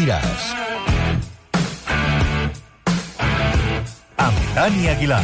diràs. Amb Dani Aguilar.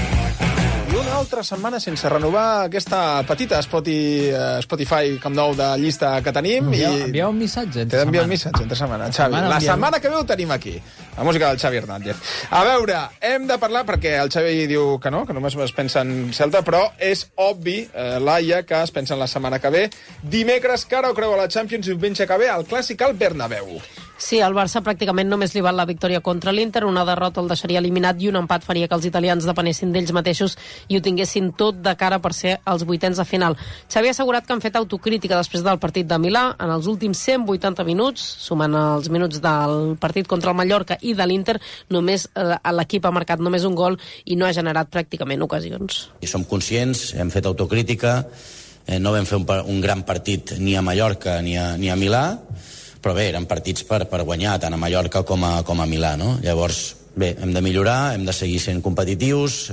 I una altra setmana sense renovar aquesta petita Spotify Camp Nou de llista que tenim. Envieu un missatge entre setmana. T'envia un missatge entre setmana, Xavi. La setmana que ve ho tenim aquí. La música del Xavi Hernández. A veure, hem de parlar, perquè el Xavi diu que no, només es pensa en Celta, però és obvi, Laia, que es pensa en la setmana que ve. Dimecres, cara o creu a la Champions, i diumenge que ve, el clàssic al Bernabéu. Sí, al Barça pràcticament només li val la victòria contra l'Inter, una derrota el deixaria eliminat i un empat faria que els italians depenessin d'ells mateixos i ho tinguessin tot de cara per ser els vuitens de final. Xavi ha assegurat que han fet autocrítica després del partit de Milà. En els últims 180 minuts, sumant els minuts del partit contra el Mallorca i de l'Inter, només l'equip ha marcat només un gol i no ha generat pràcticament ocasions. I som conscients, hem fet autocrítica, no vam fer un gran partit ni a Mallorca ni a Milà, però bé, eren partits per guanyar, tant a Mallorca com a Milà, no? Llavors, bé, hem de millorar, hem de seguir sent competitius,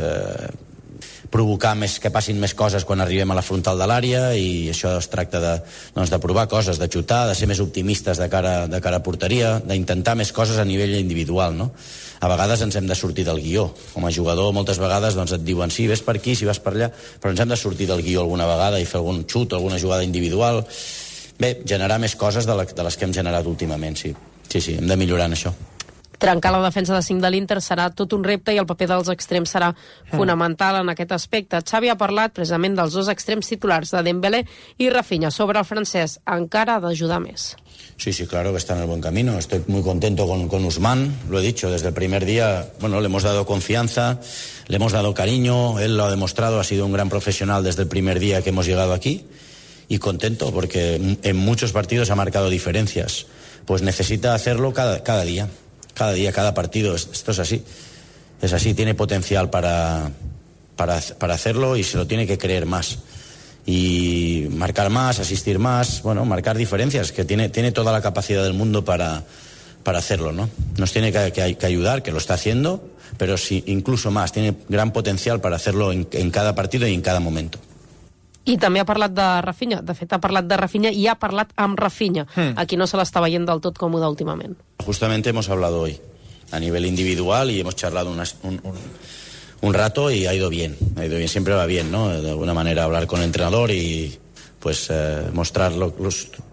provocar que passin més coses quan arribem a la frontal de l'àrea, i això es tracta de provar coses, de xutar, de ser més optimistes de cara a porteria, d'intentar més coses a nivell individual, no? A vegades ens hem de sortir del guió. Com a jugador, moltes vegades et diuen sí, ves per aquí, si vas per allà, però ens hem de sortir del guió alguna vegada i fer algun xut, alguna jugada individual. Bé, generar més coses de les que hem generat últimament, sí. Sí, hem de millorar en això. Trencar la defensa de 5 de l'Inter serà tot un repte i el paper dels extrems serà fonamental en aquest aspecte. Xavi ha parlat precisament dels dos extrems titulars de Dembélé i Rafinha. Sobre el francès, encara ha d'ajudar més. Sí, claro que está en el buen camino. Estoy muy contento con Ousmane, lo he dicho, desde el primer día, le hemos dado confianza, le hemos dado cariño, él lo ha demostrado, ha sido un gran profesional desde el primer día que hemos llegado aquí. Y contento porque en muchos partidos ha marcado diferencias. Pues necesita hacerlo cada día, cada partido. Esto es así. Es así, tiene potencial para hacerlo y se lo tiene que creer más. Y marcar más, asistir más, marcar diferencias, que tiene toda la capacidad del mundo para hacerlo, ¿no? Nos tiene que ayudar, que lo está haciendo, pero sí, incluso más, tiene gran potencial para hacerlo en cada partido y en cada momento. I també ha parlat de Rafinha. De fet, ha parlat de Rafinha i ha parlat amb Rafinha. Aquí no se l'està veient del tot còmode últimament. Justamente hemos hablado hoy a nivel individual y hemos charlado un rato y ha ido bien. Siempre va bien, ¿no? De alguna manera hablar con el entrenador y pues mostrar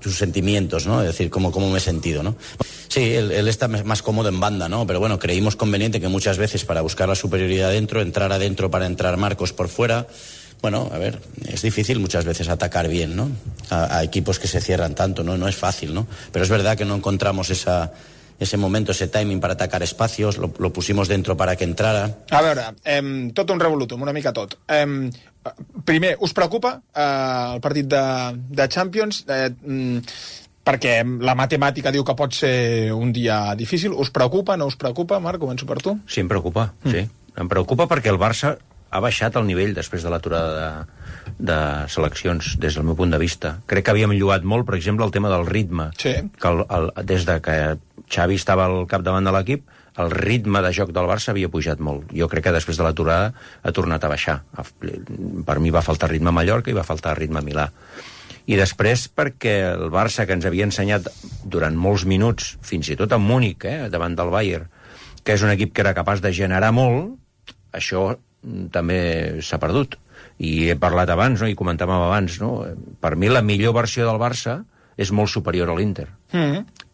sus sentimientos, ¿no? Es decir, cómo me he sentido, ¿no? Sí, él está más cómodo en banda, ¿no? Pero creímos conveniente que muchas veces para buscar la superioridad adentro, entrar adentro para entrar Marcos por fuera. A ver, es difícil muchas veces atacar bien, ¿no? A equipos que se cierran tanto, ¿no? No es fácil, ¿no? Pero es verdad que no encontramos ese momento, ese timing para atacar espacios, lo pusimos dentro para que entrara. A veure, tot un revolutum, una mica tot. Primer, us preocupa el partit de Champions? Perquè la matemàtica diu que pot ser un dia difícil. Us preocupa, no us preocupa? Marc, començo per tu. Sí, em preocupa, sí. Em preocupa perquè el Barça ha baixat el nivell després de l'aturada de seleccions, des del meu punt de vista. Crec que havíem llogat molt, per exemple, el tema del ritme. Sí. Que des de que Xavi estava al capdavant de l'equip, el ritme de joc del Barça havia pujat molt. Jo crec que després de l'aturada ha tornat a baixar. Per mi va faltar ritme a Mallorca i va faltar ritme a Milà. I després perquè el Barça, que ens havia ensenyat durant molts minuts, fins i tot a Múnich, davant del Bayern, que és un equip que era capaç de generar molt, això també s'ha perdut. I he parlat abans, no? I comentàvem abans, no? Per mi la millor versió del Barça és molt superior a l'Inter.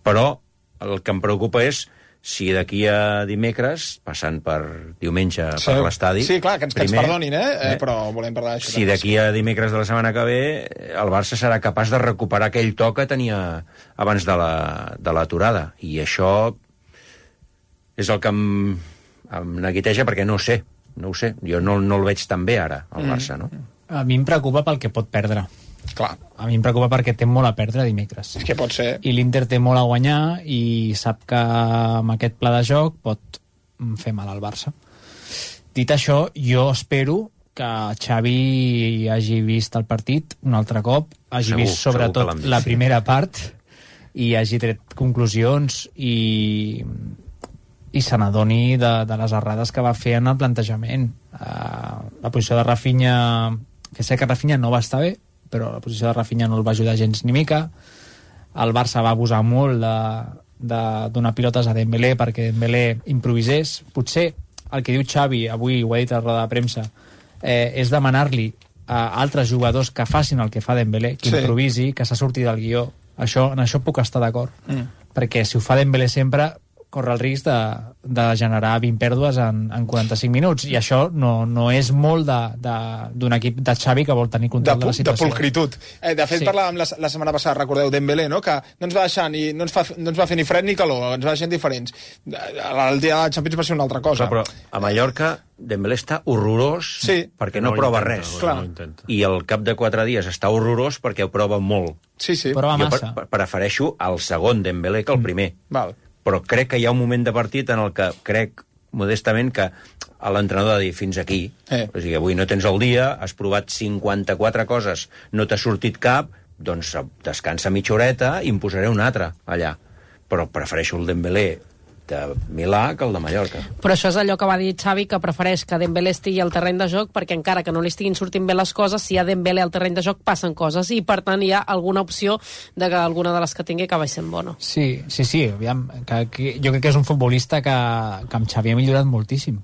Però el que em preocupa és si d'aquí a dimecres, passant per diumenge per l'estadi... Sí, clar, que ens perdonin, però volem parlar d'això. Si d'aquí a dimecres de la setmana que ve el Barça serà capaç de recuperar aquell to que tenia abans de l'aturada. I això és el que em neguiteja perquè no ho sé. Jo no el veig tan bé ara, el Barça, no? A mi em preocupa pel que pot perdre. Clar. A mi em preocupa perquè té molt a perdre dimecres. És que pot ser. I l'Inter té molt a guanyar i sap que amb aquest pla de joc pot fer mal al Barça. Dit això, jo espero que Xavi hagi vist el partit un altre cop, hagi vist sobretot la primera part i hagi tret conclusions i se n'adoni de les errades que va fer en el plantejament. La posició de Rafinha, que sé que Rafinha no va estar bé, però la posició de Rafinha no el va ajudar gens ni mica. El Barça va abusar molt donar pilotes a Dembélé perquè Dembélé improvisés. Potser el que diu Xavi, avui ho ha dit a la roda de premsa, és demanar-li a altres jugadors que facin el que fa Dembélé, que improvisi, que s'ha sortit del guió. En això puc estar d'acord. Perquè si ho fa Dembélé sempre, corre el risc de generar 20 pèrdues en 45 minuts, i això no és molt d'un equip de Xavi que vol tenir control de la situació. De pulcritud. De fet, parlàvem la setmana passada, recordeu, Dembélé, no? Que no ens va deixar no ens va fer ni fred ni calor, ens va deixar diferents. El dia de la Champions va ser una altra cosa. Però a Mallorca Dembélé està horrorós perquè no prova res. I al cap de 4 dies està horrorós perquè ho prova molt. Sí. Prova massa. Jo prefereixo el segon Dembélé que el primer. Val. Però crec que hi ha un moment de partit en el que crec, modestament, que l'entrenador ha de dir fins aquí. O sigui, avui no tens el dia, has provat 54 coses, no t'ha sortit cap, doncs descansa mitja horeta i en posaré un altre allà. Però prefereixo el Dembélé de Milà que el de Mallorca. Però això és allò que va dir Xavi, que prefereix que Dembélé estigui al terreny de joc, perquè encara que no li estiguin sortint bé les coses, si hi ha Dembélé al terreny de joc passen coses, i per tant hi ha alguna opció de que alguna de les que tingui acabi sent bona. Sí, aviam, que jo crec que és un futbolista que amb Xavi ha millorat moltíssim.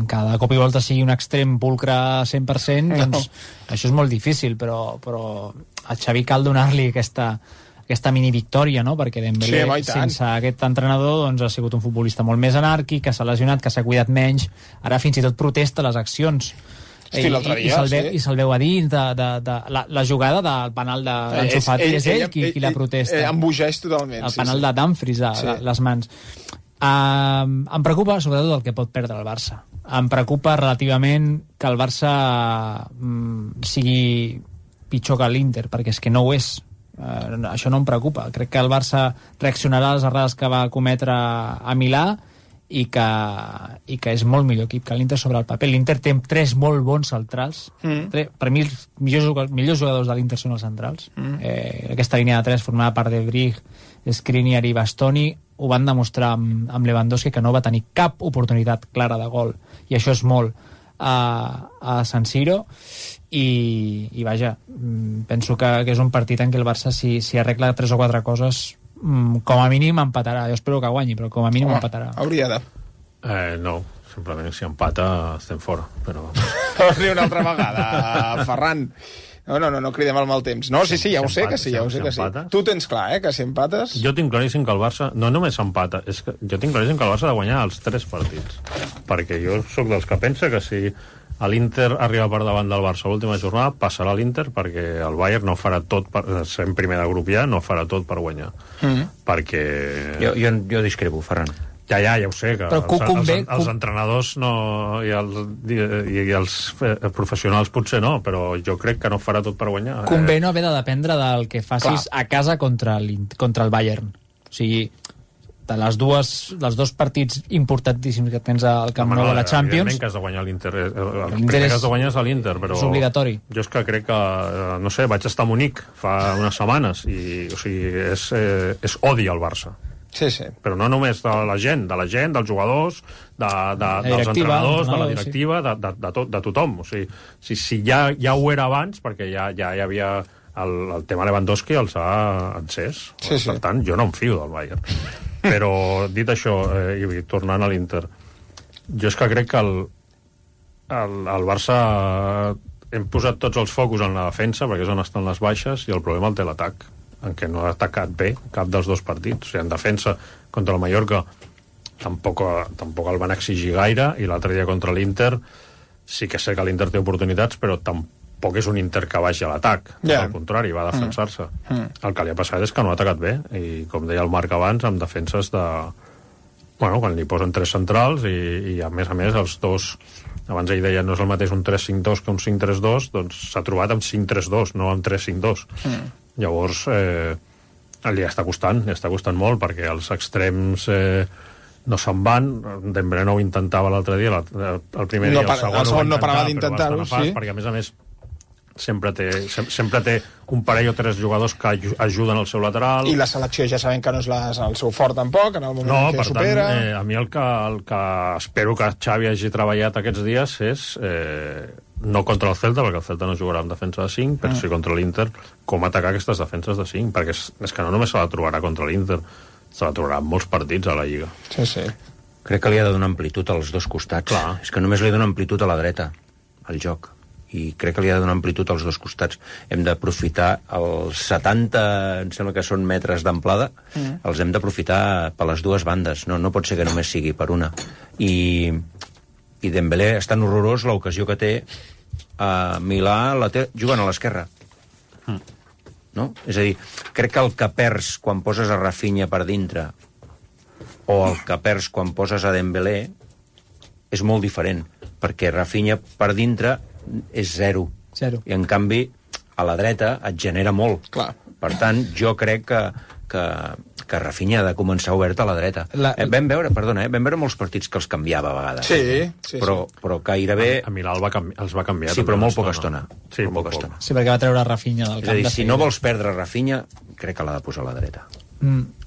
Cada cop i volta sigui un extrem pulcre 100%, doncs això és molt difícil, però a Xavi cal donar-li aquesta mini victòria, no? Perquè Dembélé, sense aquest entrenador, doncs, ha sigut un futbolista molt més anàrquic, que s'ha lesionat, que s'ha cuidat menys, ara fins i tot protesta les accions. I se'l veu a dins de la jugada del penal d'Ansu Fati, és ell qui la protesta. Embogeix totalment. El penal de Dumfries, les mans. Em preocupa sobretot el que pot perdre el Barça. Em preocupa relativament que el Barça sigui pitjor que l'Inter, perquè és que no ho és. Això no em preocupa. Crec que el Barça reaccionarà a les errades que va cometre a Milà i que és molt millor equip que l'Inter sobre el paper. L'Inter té 3 molt bons centrals. Per mi els millors jugadors de l'Inter són els centrals. Aquesta línia de 3 formada per De Vrij, Skriniar i Bastoni ho van demostrar amb Lewandowski, que no va tenir cap oportunitat clara de gol, i això és molt a San Siro. I vaja, penso que és un partit en què el Barça, si arregla 3 o 4 coses, com a mínim empatarà. Jo espero que guanyi, però com a mínim empatarà. Hauria de... No, simplement si empata estem fora, però... Torni una altra vegada, Ferran. No cridem al mal temps. No, sí, ja ho sé que sí. Tu tens clar, que si empates... Jo tinc claríssim que el Barça no només empata, és que jo tinc claríssim que el Barça ha de guanyar els 3 partits. Perquè jo sóc dels que pensa que si l'Inter arriba per davant del Barça a l'última jornada, passarà l'Inter, perquè el Bayern no farà tot, sent primer de grup ja, no farà tot per guanyar. Perquè... Jo discrepo, Ferran. Ja ho sé, que els entrenadors i els professionals potser no, però jo crec que no farà tot per guanyar. Convé no haver de dependre del que facis a casa contra el Bayern. O sigui, dels 2 partits importantíssims que tens al Camp Nou de la Champions... Evidentment que has de guanyar l'Inter. El primer que has de guanyar és l'Inter, però... És obligatori. Jo és que crec que, no sé, vaig estar a Munic fa unes setmanes i, o sigui, és odi al Barça. Sí. Però no només de la gent, dels jugadors, dels entrenadors, de la directiva, de tothom. O sigui, si ja ho era abans, perquè ja hi havia el tema Lewandowski, els ha encès. Per tant, jo no em fio del Bayern. Però, dit això, i tornant a l'Inter, jo és que crec que el Barça hem posat tots els focus en la defensa, perquè és on estan les baixes, i el problema el té l'atac, en què no ha atacat bé cap dels 2 partits. O sigui, en defensa contra el Mallorca tampoc el van exigir gaire, i l'altre dia contra l'Inter sí que sé que l'Inter té oportunitats, però tampoc és un Inter que vagi a l'atac. Al contrari, va defensar-se. El que li ha passat és que no ha atacat bé, i com deia el Marc abans, amb defenses de... Bueno, quan li posen 3 centrals i a més els 2... Abans ell deia no és el mateix un 3-5-2 que un 5-3-2, doncs s'ha trobat amb 5-3-2, no amb 3-5-2. Llavors, li està costant molt, perquè els extrems no se'n van. Dembélé no ho intentava l'altre dia, el primer dia, el segon no parava d'intentar-ho, sí. Perquè, a més, sempre té un parell o 3 jugadors que ajuden al seu lateral. I la selecció ja sabem que no és el seu fort tampoc, en el moment que supera. A mi el que espero que Xavi hagi treballat aquests dies és no contra el Celta, perquè el Celta no jugarà amb defensa de 5, però sí contra l'Inter, com atacar aquestes defenses de 5, perquè és que no només se la trobarà contra l'Inter, se la trobarà en molts partits a la Lliga. Sí. Crec que li ha de donar amplitud als dos costats. Clar. És que només li dona amplitud a la dreta, al joc. I crec que li ha de donar amplitud als dos costats. Hem d'aprofitar els 70, em sembla que són metres d'amplada, els hem d'aprofitar per les dues bandes. No pot ser que només sigui per una. I Dembélé és tan horrorós l'ocasió que té a Milà jugant a l'esquerra. No? És a dir, crec que el que perds quan poses a Rafinha per dintre o el que perds quan poses a Dembélé és molt diferent, perquè Rafinha per dintre és zero. I en canvi a la dreta et genera molt. Clar. Per tant, jo crec que Rafinha ha de començar obert a la dreta. Vam veure molts partits que els canviava a vegades. Sí. Però gairebé... A Milà els va canviar. Sí, però molt poca estona. Sí, molt poca estona. Sí, perquè va treure Rafinha del camp. És a dir, si no vols perdre Rafinha, crec que l'ha de posar a la dreta.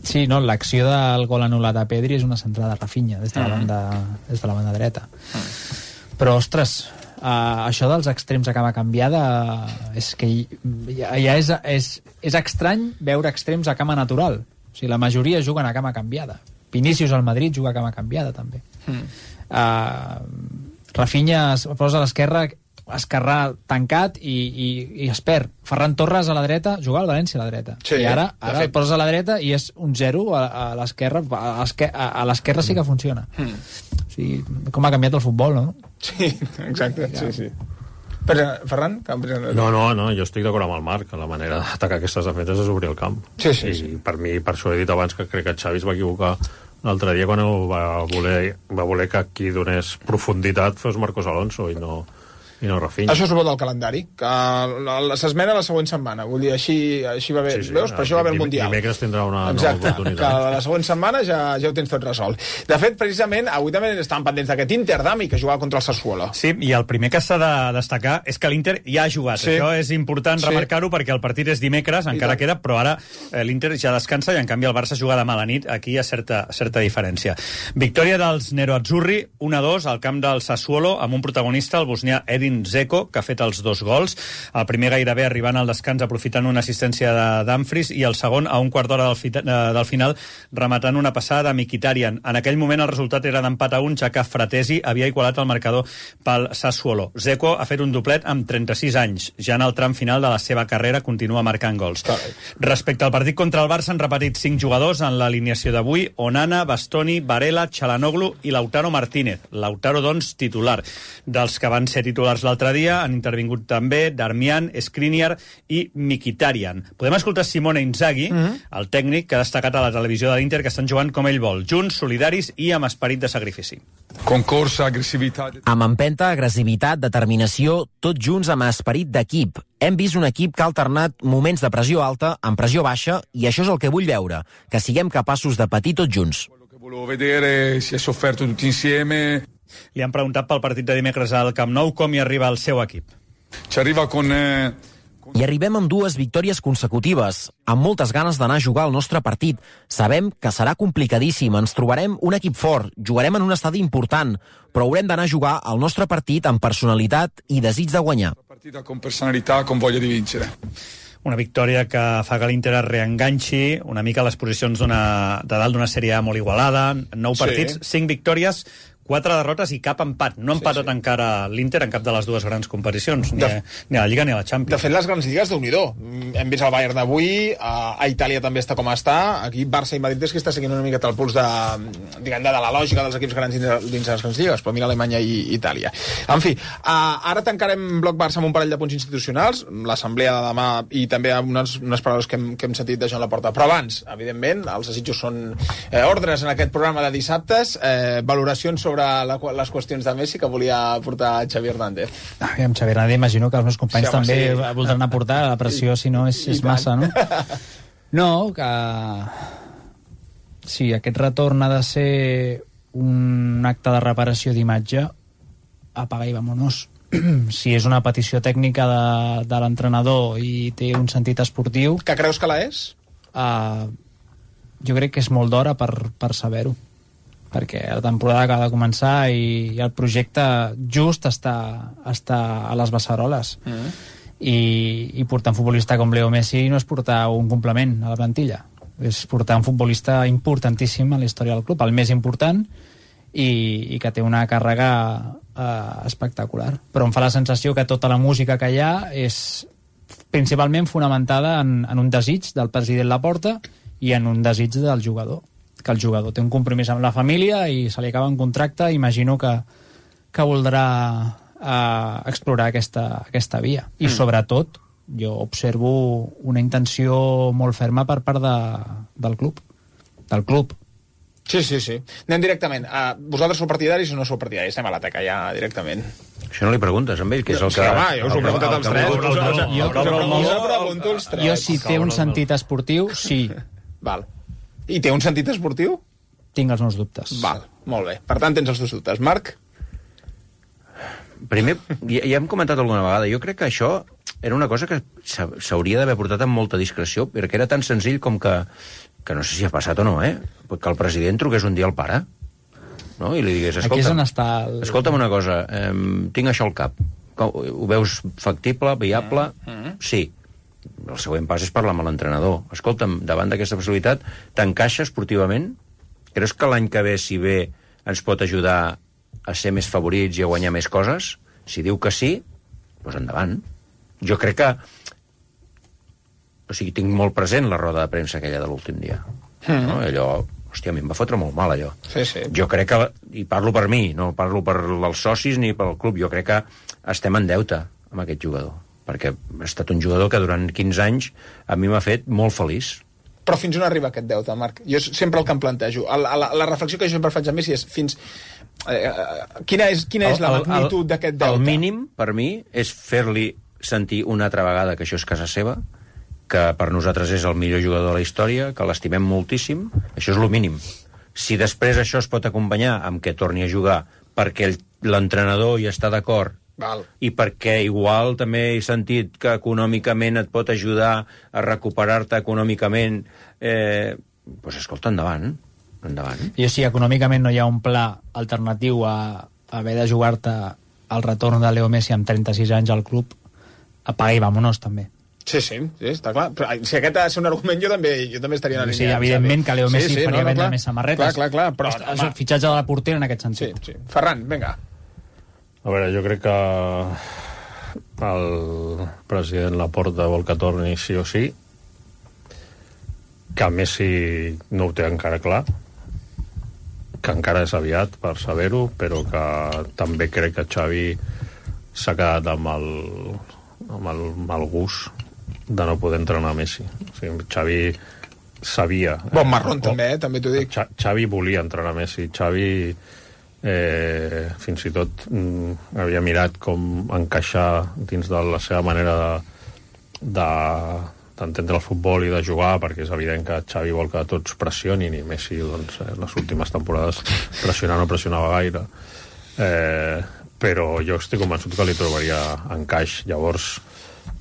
Sí, no, l'acció del gol anul·lat a Pedri és una centrada a Rafinha des de la banda dreta. Però, ostres, això dels extrems a cama canviada és que ja és estrany veure extrems a cama natural. O sigui, la majoria juguen a cama canviada. Vinícius al Madrid juga a cama canviada, també. Rafinha es posa a l'esquerra, esquerrà tancat i es perd. Ferran Torres a la dreta, juga al València a la dreta. I ara el poses a la dreta i és un 0 a l'esquerra. A l'esquerra sí que funciona. O sigui, com ha canviat el futbol, no? Sí, exacte, sí. Però, Ferran? No, jo estic d'acord amb el Marc. La manera d'atacar aquestes defenses és obrir el camp. Sí. I per mi, per això he dit abans que crec que Xavi es va equivocar l'altre dia quan va voler que qui donés profunditat fos Marcos Alonso i no Rafinha. Això és el bo del calendari, que s'esmena la següent setmana. Vull dir, així va bé. Sí, veus? Per això va bé el Mundial. Dimecres tindrà una nova oportunitat. Que la següent setmana ja ho tens tot resolt. De fet, precisament, avui també estàvem pendents d'aquest Inter d'Ami, que jugava contra el Sassuolo. Sí, i el primer que s'ha de destacar és que l'Inter ja ha jugat. Sí. Això és important remarcar-ho perquè el partit és dimecres, encara queda, però ara l'Inter ja descansa i en canvi el Barça juga demà a la nit. Aquí hi ha certa diferència. Victòria dels Nero-Azzurri, 1-2 al camp del Sassuolo, amb un protagonista, el bosnià Edin Dzeko, que ha fet els 2 gols. El primer gairebé arribant al descans aprofitant una assistència de Dumfries i el segon a un quart d'hora del final rematant una passada de Mkhitaryan. En aquell moment el resultat era d'empat a 1, ja que Fratesi havia igualat el marcador pel Sassuolo. Dzeko ha fet un doblet amb 36 anys. Ja en el tram final de la seva carrera continua marcant gols. Respecte al partit contra el Barça han repetit 5 jugadors en l'alineació d'avui: Onana, Bastoni, Varela, Çalhanoğlu i Lautaro Martínez. Lautaro, doncs, titular. Dels que van ser titulars l'altre dia han intervingut també Darmian, Skriniar i Mkhitaryan. Podem escoltar Simone Inzaghi, el tècnic que ha destacat a la televisió de l'Inter que estan jugant com ell vol, junts, solidaris i amb esperit de sacrifici. Concorsa, agressivitat... Amb empenta, agressivitat, determinació, tots junts amb esperit d'equip. Hem vist un equip que ha alternat moments de pressió alta amb pressió baixa i això és el que vull veure, que siguem capaços de patir tots junts. Quello che volevo vedere, si è sofferto tutti insieme... Li han preguntat pel partit de dimecres al Camp Nou com hi arriba el seu equip. Ci arriva con... I arribem amb 2 victòries consecutives, amb moltes ganes d'anar a jugar al nostre partit. Sabem que serà complicadíssim, ens trobarem un equip fort, jugarem en un estadi important, però haurem d'anar a jugar al nostre partit amb personalitat i desig de guanyar. Partita con personalità, con voglia di vincere. Una victòria que fa que l'Inter es reenganxi una mica a les posicions de dalt d'una sèrie molt igualada, 9 partits, 5 victòries, 4 derrotes i cap empat. No ha empatat encara l'Inter en cap de les 2 grans competicions, ni a la Lliga ni a la Champions. De fet, les grans lligues, Déu-n'hi-do. Hem vist el Bayern d'avui, a Itàlia també està com està, aquí Barça i Madrid és que està seguint una miqueta el puls de la lògica dels equips grans dins les grans lligues, però mira Alemanya i Itàlia. En fi, ara tancarem bloc Barça amb un parell de punts institucionals, l'assemblea de demà i també unes paraules que hem sentit de Joan Laporta. Però abans, evidentment, els desitjos són ordres en aquest programa de dissabtes, valoracions sobre les qüestions de Messi que volia portar Xavi Hernández. Aviam, Xavi Hernández, imagino que els meus companys també voldran aportar, la pressió si no és massa, no? No, que... Sí, aquest retorn ha de ser un acte de reparació d'imatge, apaga i vámonos. Si és una petició tècnica de l'entrenador i té un sentit esportiu... Que creus que la és? Jo crec que és molt d'hora per saber-ho. perquè la temporada acaba de començar i el projecte just està a les beceroles. I portar un futbolista com Leo Messi no és portar un complement a la plantilla, és portar un futbolista importantíssim en la història del club, el més important, i que té una càrrega espectacular. Però em fa la sensació que tota la música que hi ha és principalment fonamentada en un desig del president Laporta i en un desig del jugador, que el jugador té un compromís amb la família i se li acaba un contracte, imagino que voldrà explorar aquesta via. I sobretot jo observo una intenció molt ferma per part del club. Sí. Anem directament. Vosaltres sou partidaris o no sou partidaris? Estem a l'ataca ja directament. Això no li preguntes amb ell, que és el que... Home, jo us ho he preguntat als tres. Jo, si té un sentit esportiu, sí. Val. I té un sentit esportiu? Tinc els meus dubtes. Val, molt bé. Per tant, tens els teus dubtes. Marc? Primer, ja hem comentat alguna vegada, jo crec que això era una cosa que s'hauria d'haver portat amb molta discreció, perquè era tan senzill com que no sé si ha passat o no, que el president truqués un dia al pare, no? I li digués, escolta'm una cosa, tinc això al cap, ho veus factible, viable? Sí. El següent pas és parlar amb l'entrenador. Escolta'm, davant d'aquesta possibilitat, t'encaixa esportivament? Creus que l'any que ve, si ve, ens pot ajudar a ser més favorits i a guanyar més coses? Si diu que sí, doncs endavant. Jo crec que... O sigui, tinc molt present la roda de premsa aquella de l'últim dia. No? Allò... Hòstia, a mi em va fotre molt mal, allò. Sí. Jo crec que... I parlo per mi, no parlo per els socis ni pel club. Jo crec que estem en deute amb aquest jugador. Perquè ha estat un jugador que durant 15 anys a mi m'ha fet molt feliç. Però fins on arriba aquest deute, Marc? Jo sempre el que em plantejo. La reflexió que jo sempre faig a Messi és fins... Quina és la magnitud d'aquest deute? El mínim, per mi, és fer-li sentir una altra vegada que això és casa seva, que per nosaltres és el millor jugador de la història, que l'estimem moltíssim. Això és el mínim. Si després això es pot acompanyar amb que torni a jugar perquè l'entrenador hi està d'acord, i perquè igual també he sentit que econòmicament et pot ajudar a recuperar-te econòmicament, doncs escolta, endavant. Jo, si econòmicament no hi ha un pla alternatiu a haver de jugar-te el retorn de Leo Messi amb 36 anys al club, apaga i vámonos, també. Sí, està clar. Però, si aquest ha de ser un argument, jo també estaria en la línia. Sí, evidentment que Leo Messi faria vendre més samarretes. Clar, però... És el fitxatge de la portera en aquest sentit. Sí. Ferran, vinga. A veure, jo crec que el president Laporta vol que torni sí o sí, que Messi no ho té encara clar, que encara és aviat per saber-ho, però que també crec que Xavi s'ha quedat amb el mal gust de no poder entrenar Messi. O sigui, Xavi sabia... Bon marrón també t'ho dic. Xavi volia entrenar Messi. Xavi fins i tot havia mirat com encaixar dins de la seva manera d'entendre el futbol i de jugar, perquè és evident que Xavi vol que tots pressionin i Messi, doncs, les últimes temporades no pressionava gaire. Però jo estic convençut que li trobaria encaix. Llavors,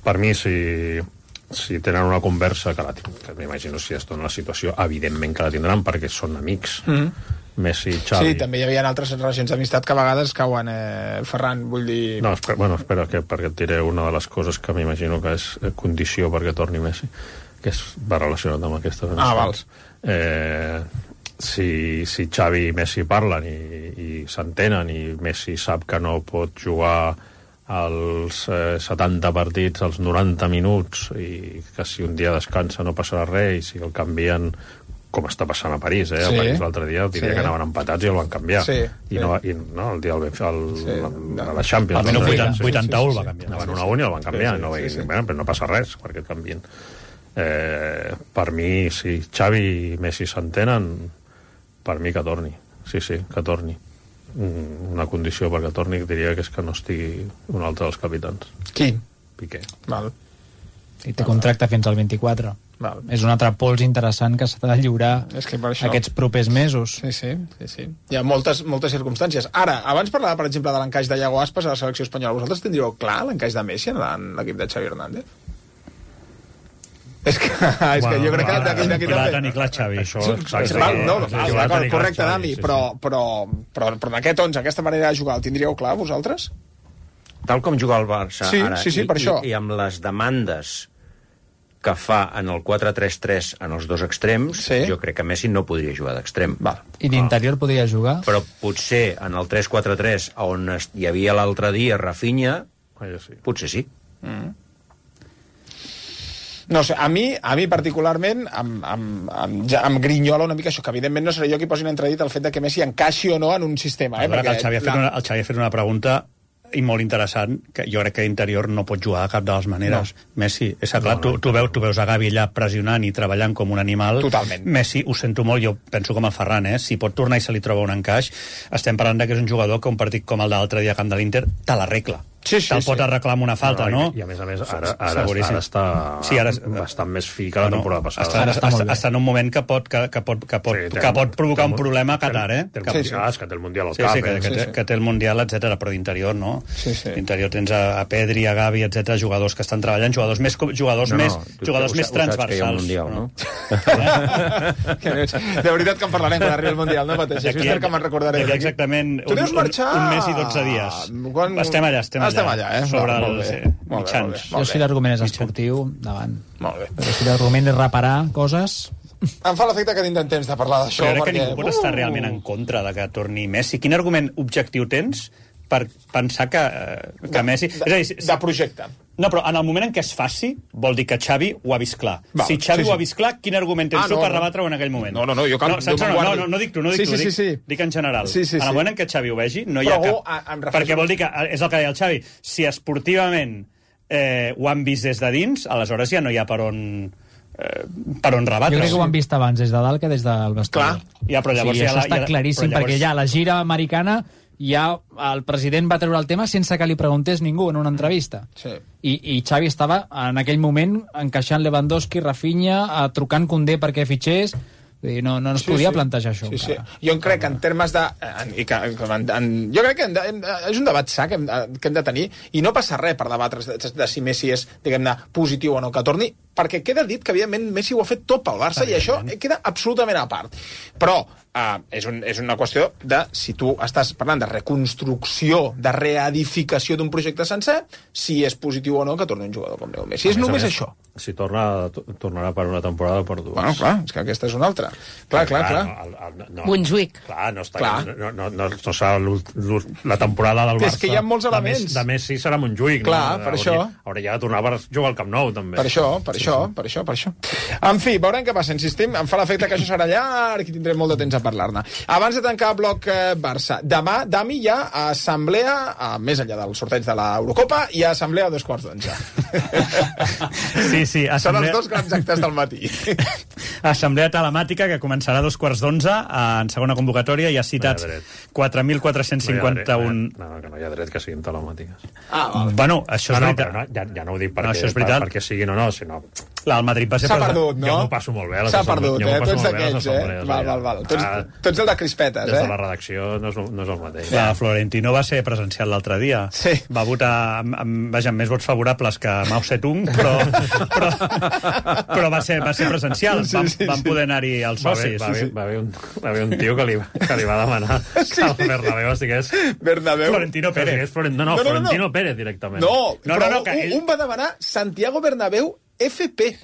per mi, si tenen una conversa, que m'imagino si es dona la situació, evidentment que la tindran perquè són amics, Messi, Xavi... Sí, també hi havia altres relacions d'amistat que a vegades cauen, Ferran, vull dir... No, espera, perquè et diré una de les coses que m'imagino que és condició perquè torni Messi, que va relacionat amb aquestes amistats. Si Xavi i Messi parlen i s'entenen i Messi sap que no pot jugar als 70 partits als 90 minuts i que si un dia descansa no passarà res, i si el canvien, com està passant a París, a París l'altre dia diria que anaven empatats i el van canviar, i el dia de la Champions al minut 81 el va canviar, anaven 1-1 i el van canviar, però no passa res perquè el canvien. Per mi, si Xavi i Messi s'entenen, per mi que torni, que torni. Una condició perquè torni diria que és que no estigui un altre dels capitans. Qui? Piqué. Val. I té contracte fins al 24. Val. És un altre pols interessant que s'ha de lliurar aquests propers mesos. Sí. Hi ha moltes circumstàncies. Ara, abans parlava, per exemple, de l'encaix de Iago Aspas a la selecció espanyola. Vosaltres tindríeu clar l'encaix de Messi en l'equip de Xavi Hernández? És que jo crec que d'aquí també. Ni clar, Xavi. Això, correcte, Dani, però d'aquest 11, aquesta manera de jugar, el tindríeu clar, vosaltres? Tal com juga el Barça ara, sí, per això. I amb les demandes que fa en el 4-3-3 en els dos extrems, jo crec que Messi no podria jugar d'extrem. I d'interior podria jugar? Però potser en el 3-4-3, on hi havia l'altre dia Rafinha, potser sí. No sé, a mi particularment em grinyola una mica això, que evidentment no seré jo qui posi en entredit el fet de que Messi encaixi o no en un sistema. Perquè el Xavi ha fet una pregunta i molt interessant, que jo crec que d'interior no pot jugar de cap de les maneres. Messi, és clar, tu veus a Gavi allà pressionant i treballant com un animal. Totalment. Messi, ho sento molt, jo penso com el Ferran, si pot tornar i se li troba un encaix, estem parlant que és un jugador que un partit com el de l'altre dia camp de l'Inter te l'arregla. Te'l pot arreglar amb una falta, no? I a més, ara està bastant més fi que la temporada passada. Està en un moment que pot provocar un problema a Qatar, que té el Mundial al cap. Que té el Mundial, etc. Però d'interior no. D'interior tens a Pedri, a Gavi, etc. jugadors que estan treballant, jugadors més transversals. De veritat que en parlarem quan arribi el Mundial, no pateixis. És que me'n recordaré. Exactament. Tu deus marxar... Un mes i 12 dies. Estem allà, sobre els mitjans. Jo si l'argument és esportiu, davant. Molt bé. Però si l'argument és reparar coses... Em fa l'efecte que tinc temps de parlar d'això. Però crec que ningú pot estar realment en contra de que torni Messi. Quin argument objectiu tens per pensar que Messi... De projecte. No, però en el moment en què es faci, vol dir que Xavi ho ha vist clar. Si Xavi ho ha vist clar, quin argument tens tu per rebatre-ho en aquell moment? No, jo no dic tu, dic en general. En el moment en què Xavi ho vegi, no hi ha cap... Perquè vol dir que, és el que deia el Xavi, si esportivament ho han vist des de dins, aleshores ja no hi ha per on rebatre. Jo crec que ho han vist abans des de dalt que des del vestidor. Això està claríssim, perquè ja la gira americana ja el president va treure el tema sense que li preguntés ningú en una entrevista. I Xavi estava en aquell moment encaixant Lewandowski, Rafinha, trucant Koundé perquè fitxés. No es podia plantejar això. Jo crec que en termes de... Jo crec que és un debat sa que hem de tenir, i no passa res per debatre de si Messi és, diguem-ne, positiu o no que torni, perquè queda dit que, evidentment, Messi ho ha fet tot pel Barça i això queda absolutament a part. Però és una qüestió de si tu estàs parlant de reconstrucció, de reedificació d'un projecte sencer, si és positiu o no que torni un jugador com Leo Messi. És només això. Si tornarà per una temporada o per dues. Bueno, clar, és que aquesta és una altra. Clar. Montjuïc. Clar, no serà la temporada del Barça. És que hi ha molts elements. De Messi serà Montjuïc. Clar, per això. Hauria de tornar per jugar al Camp Nou, també. Per això. En fi, veurem què passa. Insistim, em fa l'efecte que això serà llarg i tindrem molt de temps a parlar-ne. Abans de tancar el bloc Barça, demà, Dami, hi ha assemblea, més enllà del sorteig de l'Eurocopa, hi ha assemblea a 11:15. Sí. Són els dos grans actes del matí. Assemblea telemàtica que començarà a 11:15 en segona convocatòria. Hi ha citats 4.451... No, que no hi ha dret que siguin telemàtiques. Bueno, això és veritat. Ja no ho dic perquè siguin o no, sinó... El Madrid va ser... S'ha perdut, no? Jo m'ho passo molt bé. S'ha perdut, tots d'aquells, Val. Tots el de crispetes, Des de la redacció no és el mateix. Florentino va ser presencial l'altre dia. Sí. Va votar amb més vots favorables que Mao Zedong, però va ser presencial. Van poder anar-hi els socis. Va haver un tio que li va demanar que el Bernabéu estigués... Florentino Pérez. Florentino Pérez, directament. Un va demanar Santiago Bernabéu FP,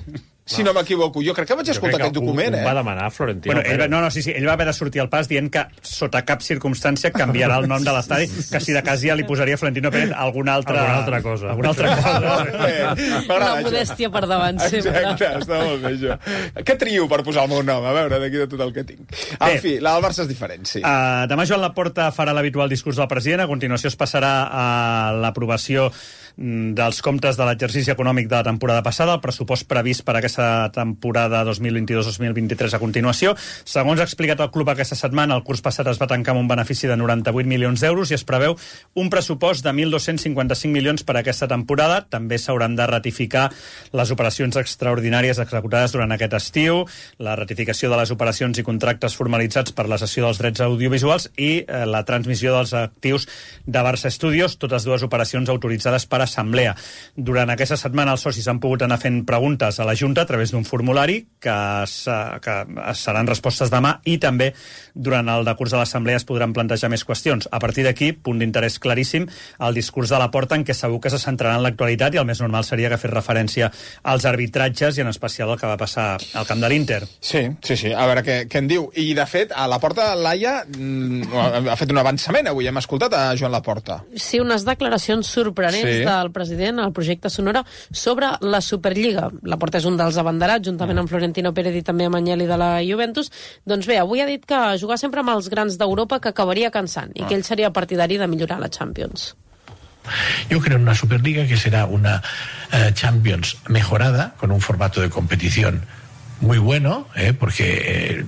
si no m'equivoco. Jo crec que vaig escoltar aquest document, va demanar Florentino Pérez. Ell va haver de sortir al pas dient que sota cap circumstància canviarà el nom de l'estadi, que si de cas ja li posaria Florentino Pérez alguna altra cosa. La modèstia per davant, sempre. Exacte, està molt bé, això. Què trio per posar el meu nom? A veure, d'aquí de tot el que tinc. En fi, la del Barça és diferent, sí. Demà Joan Laporta farà l'habitual discurs del president. A continuació es passarà a l'aprovació dels comptes de l'exercici econòmic de la temporada passada, el pressupost previst per aquesta temporada 2022-2023 a continuació. Segons ha explicat el club aquesta setmana, el curs passat es va tancar amb un benefici de 98 milions d'euros i es preveu un pressupost de 1.255 milions per a aquesta temporada. També s'hauran de ratificar les operacions extraordinàries executades durant aquest estiu, la ratificació de les operacions i contractes formalitzats per la cessió dels drets audiovisuals i la transmissió dels actius de Barça Studios, totes dues operacions autoritzades per assemblea. Durant aquesta setmana els socis han pogut anar fent preguntes a la Junta, a través d'un formulari que seran respostes demà, i també durant el decurs de l'Assemblea es podran plantejar més qüestions. A partir d'aquí, punt d'interès claríssim, el discurs de Laporta, en què segur que se centrarà en l'actualitat, i el més normal seria que fes referència als arbitratges i en especial el que va passar al camp de l'Inter. Sí. A veure què en diu. I, de fet, a Laporta, Laia ha fet un avançament avui. Hem escoltat a Joan Laporta. Sí, unes declaracions sorprenents del president al Projecte Sonora sobre la Superliga. Laporta és un dels abanderats, juntament amb Florentino Pérez i també amb Agnelli de la Juventus. Doncs bé, avui ha dit que jugar sempre amb els grans d'Europa que acabaria cansant i que ell seria partidari de millorar la Champions. Yo creo en una Superliga que será una Champions mejorada, con un formato de competición muy bueno, porque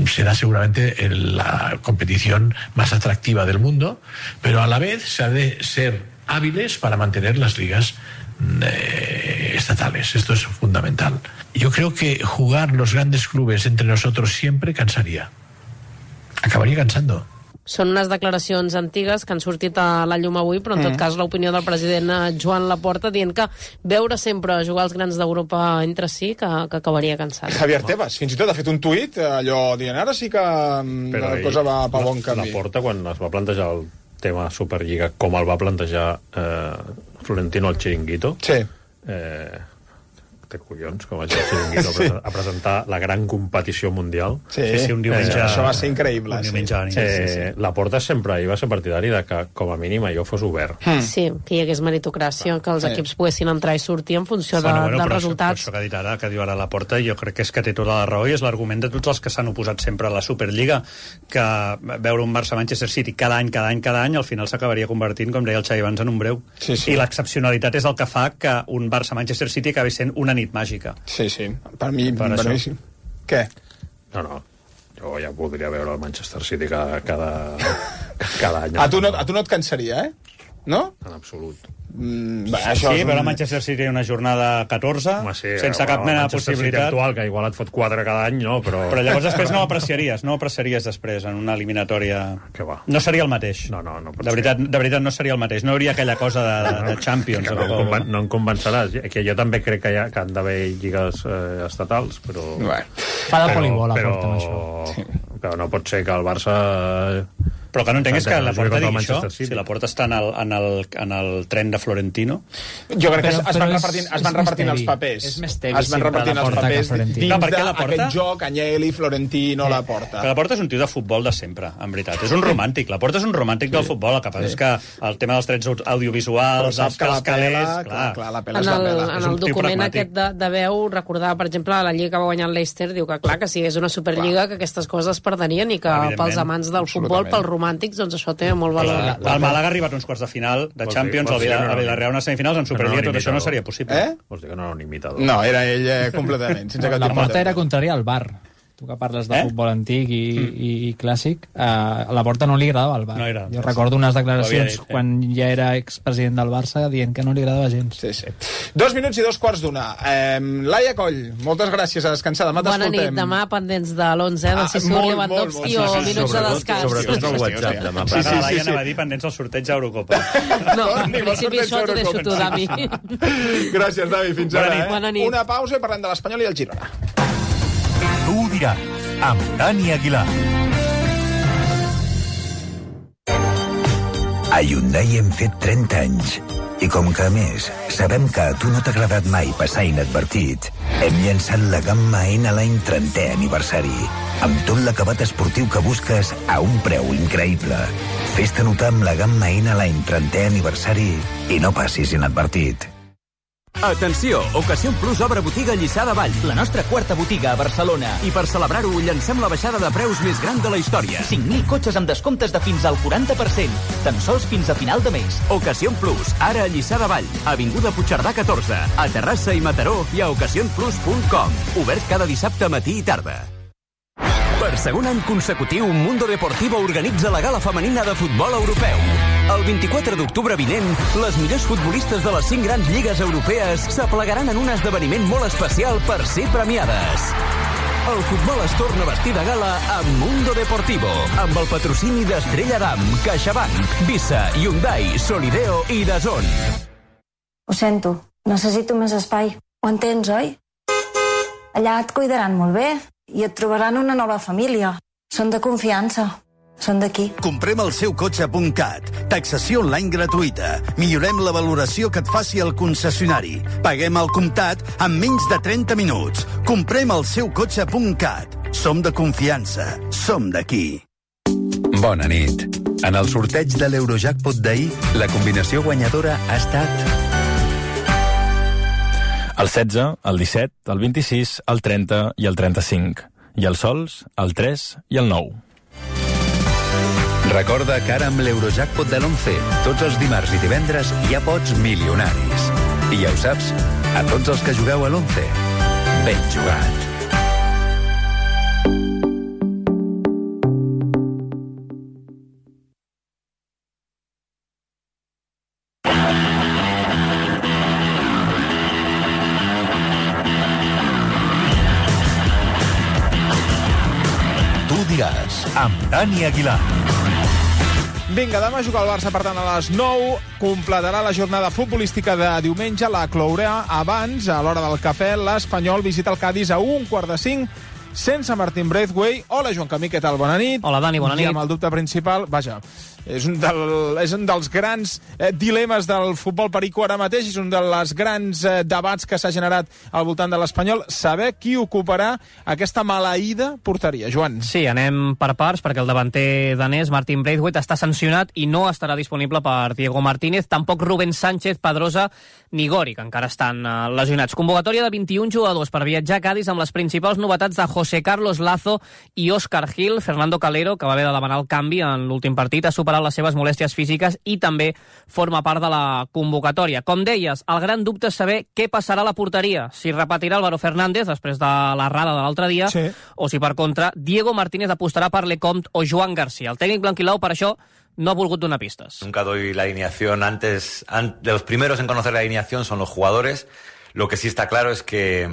será seguramente la competición más atractiva del mundo, pero a la vez se ha de ser hábiles para mantener las ligas estatales. Esto es fundamental. Yo creo que jugar los grandes clubes entre nosotros siempre cansaría. Acabaria cansando. Són unes declaracions antigues que han sortit a la llum avui, però en tot cas l'opinió del president Joan Laporta dient que veure sempre jugar els grans d'Europa entre si que acabaria cansant. Javier Tebas, fins i tot ha fet un tuit allò dient ara sí que la cosa va per bon camí. Laporta, quan es va plantejar el tema Superliga, com el va plantejar Florentino al Chiringuito, té collons, com vaig al Chiringuito a presentar la gran competició mundial. Sí, un diumenge. Això va ser increïble. Laporta sempre va ser partidari de que, com a mínim, allò fos obert. Sí, que hi hagués meritocràcia, que els equips poguessin entrar i sortir en funció dels resultats. Això que ha dit ara, que diu ara Laporta, jo crec que és que té tota la raó i és l'argument de tots els que s'han oposat sempre a la Superliga, que veure un Barça-Manchester City cada any, al final s'acabaria convertint, com deia el Xavi abans, en un breu. I l'excepcionalitat és el que fa que un Barça-Manchester City acabi sent una nit màgica. Sí, per mi sí. Què? No, jo ja podria veure el Manchester City cada any. A tu no et cansaria, no? En absolut. Veure Manchester City una jornada 14 sense cap mena de possibilitat actual, que igual et fot 4 cada any, no? Però llavors després no ho apreciaries després en una eliminatòria. No seria el mateix. No de veritat no seria el mateix. No hauria aquella cosa de Champions. No em convenceràs, que jo també crec que han d'haver lligues estatals, però fa de voleibol però no pot ser que el Barça Però que no entenc és que Laporta digui això, si Laporta està en el tren de Florentino. Jo crec que es van repartint els papers. És més tevi sempre Laporta que Florentino. Dins d'aquest joc, Agnelli, Florentino, Laporta. Però Laporta és un tio de futbol de sempre, en veritat. És un romàntic. Laporta és un romàntic del futbol. El que passa és que el tema dels drets audiovisuals, els calés... En el document aquest de veu, recordar, per exemple, la lliga que va guanyar el Leicester, diu que clar, que si és una superliga que aquestes coses es perdenien i que pels amants del futbol, pels romàntics, doncs això té molt valor. El Màlaga ha arribat a uns quarts de final de Champions, el Villarreal unes semifinals, en Superliga tot això no seria possible. Vols dir que no era un imitador? No, era ell completament. La porta era contrària al VAR. Tu que parles de futbol antic i clàssic, a Laporta no li agradava el VAR. Jo recordo unes declaracions quan ja era expresident del Barça dient que no li agradava gens. Sí. 2 minuts i 2:15. Laia Coll, moltes gràcies, a descansar. Demà t'escoltem. Bona nit, demà pendents de l'11, de si surt Lewandowski o minuts de descans. Sobretot el WhatsApp demà. La Laia anava a dir pendents del sorteig d'Eurocopa. No, en principi això t'ho deixo tu, Dami. Gràcies, Dami, fins ara. Bona nit. Una pausa i parlem de l'Espanyol i el Girona. Tu ho diràs, amb Dani Aguilar. A Hyundai hem fet 30 anys. I com que, a més, sabem que a tu no t'ha agradat mai passar inadvertit, hem llançat la gamma N-Line 30è aniversari, amb tot l'acabat esportiu que busques a un preu increïble. Fes-te notar amb la gamma N-Line 30è aniversari i no passis inadvertit. Atenció! Ocasión Plus obre botiga a Lliçà de Vall, la nostra quarta botiga a Barcelona. I per celebrar-ho, llancem la baixada de preus més gran de la història. 5.000 cotxes amb descomptes de fins al 40%, tan sols fins a final de mes. Ocasión Plus, ara a Lliçà de Vall, avinguda Puigcerdà 14, a Terrassa i Mataró i a ocasionplus.com. Obert cada dissabte matí i tarda. Per segon any consecutiu, Mundo Deportivo organitza la gala femenina de futbol europeu. El 24 d'octubre vinent, les millors futbolistes de les 5 grans lligues europees s'aplegaran en un esdeveniment molt especial per ser premiades. El futbol es torna a vestir de gala amb Mundo Deportivo, amb el patrocini d'Estrella Damm, CaixaBank, Visa, Hyundai, Solideo i DAZN. Ho sento, necessito més espai. Ho entens, oi? Allà et cuidaran molt bé i et trobaran una nova família. Són de confiança. Són d'aquí. Comprem el seu cotxe.cat. Taxació online gratuïta. Millorem la valoració que et faci el concessionari. Paguem al comptat en menys de 30 minuts. Comprem el seu cotxe.cat. Som de confiança. Som d'aquí. Bona nit. En el sorteig de l'Eurojackpot d'ahir, la combinació guanyadora ha estat el 16, el 17, el 26, el 30 i el 35. I els sols, el 3 i el 9. Recorda que ara amb l'Eurojackpot de l'11, tots els dimarts i divendres hi ha pots milionaris. I ja ho saps, a tots els que jugueu a l'11, ben jugat. Tu diràs, amb Dani Aguilar. Vinga, demà juga el Barça, per tant, a les 9. Completarà la jornada futbolística de diumenge, la clourà abans, a l'hora del cafè. L'Espanyol visita el Cádiz a 4:45, sense Martín Braithwaite. Hola, Joan Camí, què tal? Bona nit. Hola, Dani, bona nit. I amb el dubte principal, vaja, és un dels grans dilemes del futbol perico ara mateix, és un dels grans debats que s'ha generat al voltant de l'Espanyol, saber qui ocuparà aquesta maleïda porteria. Joan. Sí, anem per parts, perquè el davanter danès, Martin Braithwaite, està sancionat i no estarà disponible per Diego Martínez, tampoc Rubén Sánchez, Pedrosa ni Gori, que encara estan lesionats. Convocatòria de 21 jugadors per viatjar a Cádiz amb les principals novetats de José Carlos Lazo i Óscar Gil. Fernando Calero, que va haver de demanar el canvi en l'últim partit, ha superat les seves molèsties físiques i també forma part de la convocatòria. Com deies, el gran dubte és saber què passarà a la porteria, si repetirà Álvaro Fernández després de l'errada de l'altre dia, sí, o si per contra Diego Martínez apostarà per Lecomte o Joan García. El tècnic blanquilau per això no ha volgut donar pistes. Nunca doy la alineación antes. De los primeros en conocer la alineación son los jugadores. Lo que sí está claro es que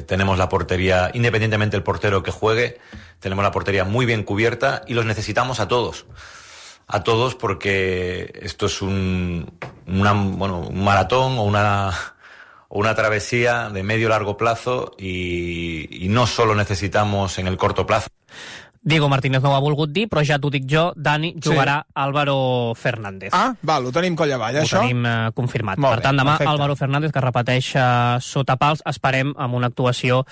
tenemos la portería, independientemente del portero que juegue, tenemos la portería muy bien cubierta y los necesitamos a todos. A todos, porque esto es un maratón o una travesía de medio largo plazo y no solo necesitamos en el corto plazo. Diego Martínez no ho ha volgut dir, però ja t'ho dic jo, Dani, jugarà Álvaro Fernández. Ah, val, ho tenim coll avall, això? Ho tenim confirmat. Molt per tant, demà perfecte. Álvaro Fernández, que repeteix sota pals, esperem amb una actuació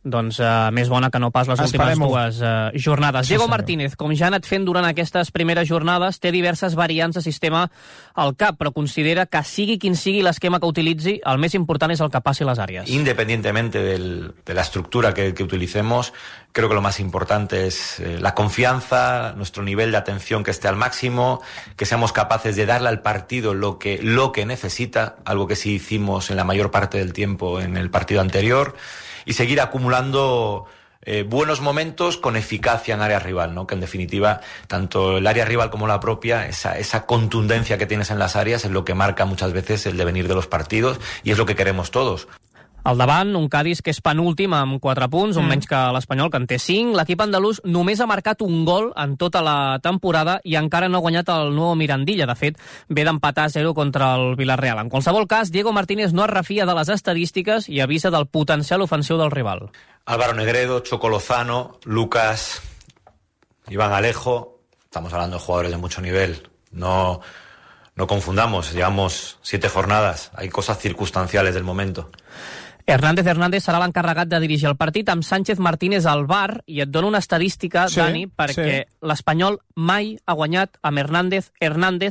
més bona que no pas les últimes dues jornades. Sí, Diego Martínez, com ja ha anat fent durant aquestes primeres jornades, té diverses variants de sistema al cap, però considera que sigui quin sigui l'esquema que utilitzi, el més important és el que passi a les àrees. Independientemente de la estructura que utilicemos, creo que lo más importante es la confianza, nuestro nivel de atención que esté al máximo, que seamos capaces de darle al partido lo que necesita, algo que sí hicimos en la mayor parte del tiempo en el partido anterior, y seguir acumulando buenos momentos con eficacia en área rival, ¿no? Que en definitiva, tanto el área rival como la propia, esa contundencia que tienes en las áreas es lo que marca muchas veces el devenir de los partidos y es lo que queremos todos. Al davant, un Cádiz que és penúltim amb 4 punts, un menys que l'Espanyol, que en té 5. L'equip andalús només ha marcat un gol en tota la temporada i encara no ha guanyat el nou Mirandilla. De fet, ve d'empatar 0 contra el Villarreal. En qualsevol cas, Diego Martínez no es refia de les estadístiques i avisa del potencial ofensiu del rival. Álvaro Negredo, Choco Lozano, Lucas, Iván Alejo, estamos hablando de jugadores de mucho nivel. No confundamos, llevamos 7 jornadas, hay cosas circunstanciales del momento. Hernández serà l'encarregat de dirigir el partit amb Sánchez Martínez al bar, i et dono una estadística, sí, Dani, perquè l'Espanyol mai ha guanyat amb Hernández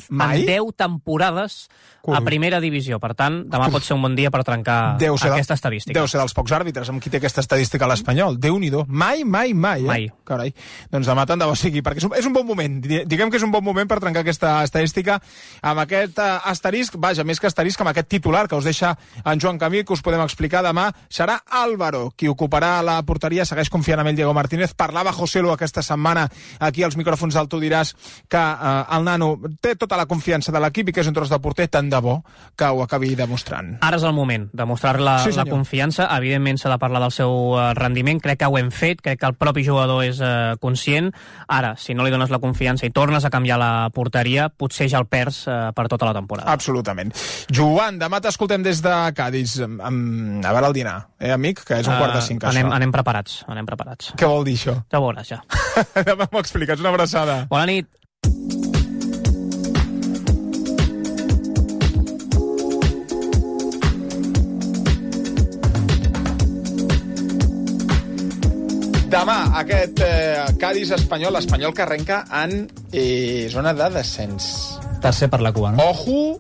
mai? En 10 temporades a primera divisió. Per tant, demà pot ser un bon dia per trencar aquesta estadística. Deu ser dels pocs àrbitres amb qui té aquesta estadística a l'Espanyol. Déu-n'hi-do. Mai. Mai. Carai. Doncs demà tant de bo sigui, perquè és un bon moment. Diguem que és un bon moment per trencar aquesta estadística amb aquest asterisc, vaja, més que asterisc, amb aquest titular que us deixa en Joan Camí, que us podem explicar que demà serà Álvaro qui ocuparà la porteria, segueix confiant en ell Diego Martínez. Parlava José Lu aquesta setmana aquí als micròfons del Tu diràs que el nano té tota la confiança de l'equip i que és un tros de porter, tant de bo que ho acabi demostrant. Ara és el moment de mostrar la confiança. Evidentment s'ha de parlar del seu rendiment, crec que ho hem fet, crec que el propi jugador és conscient. Ara, si no li dones la confiança i tornes a canviar la porteria, potser ja el perds per tota la temporada. Absolutament. Joan, demà t'escoltem des de Cádiz, a veure el dinar, amic? Que és 4:45. Anem preparats, anem preparats. Què vol dir això? Ja veuràs, ja. Demà m'ho expliques, una abraçada. Bona nit. Demà, aquest Cádiz espanyol, l'Espanyol que arrenca en zona de descens. Tercer per la cua, no? Ojo,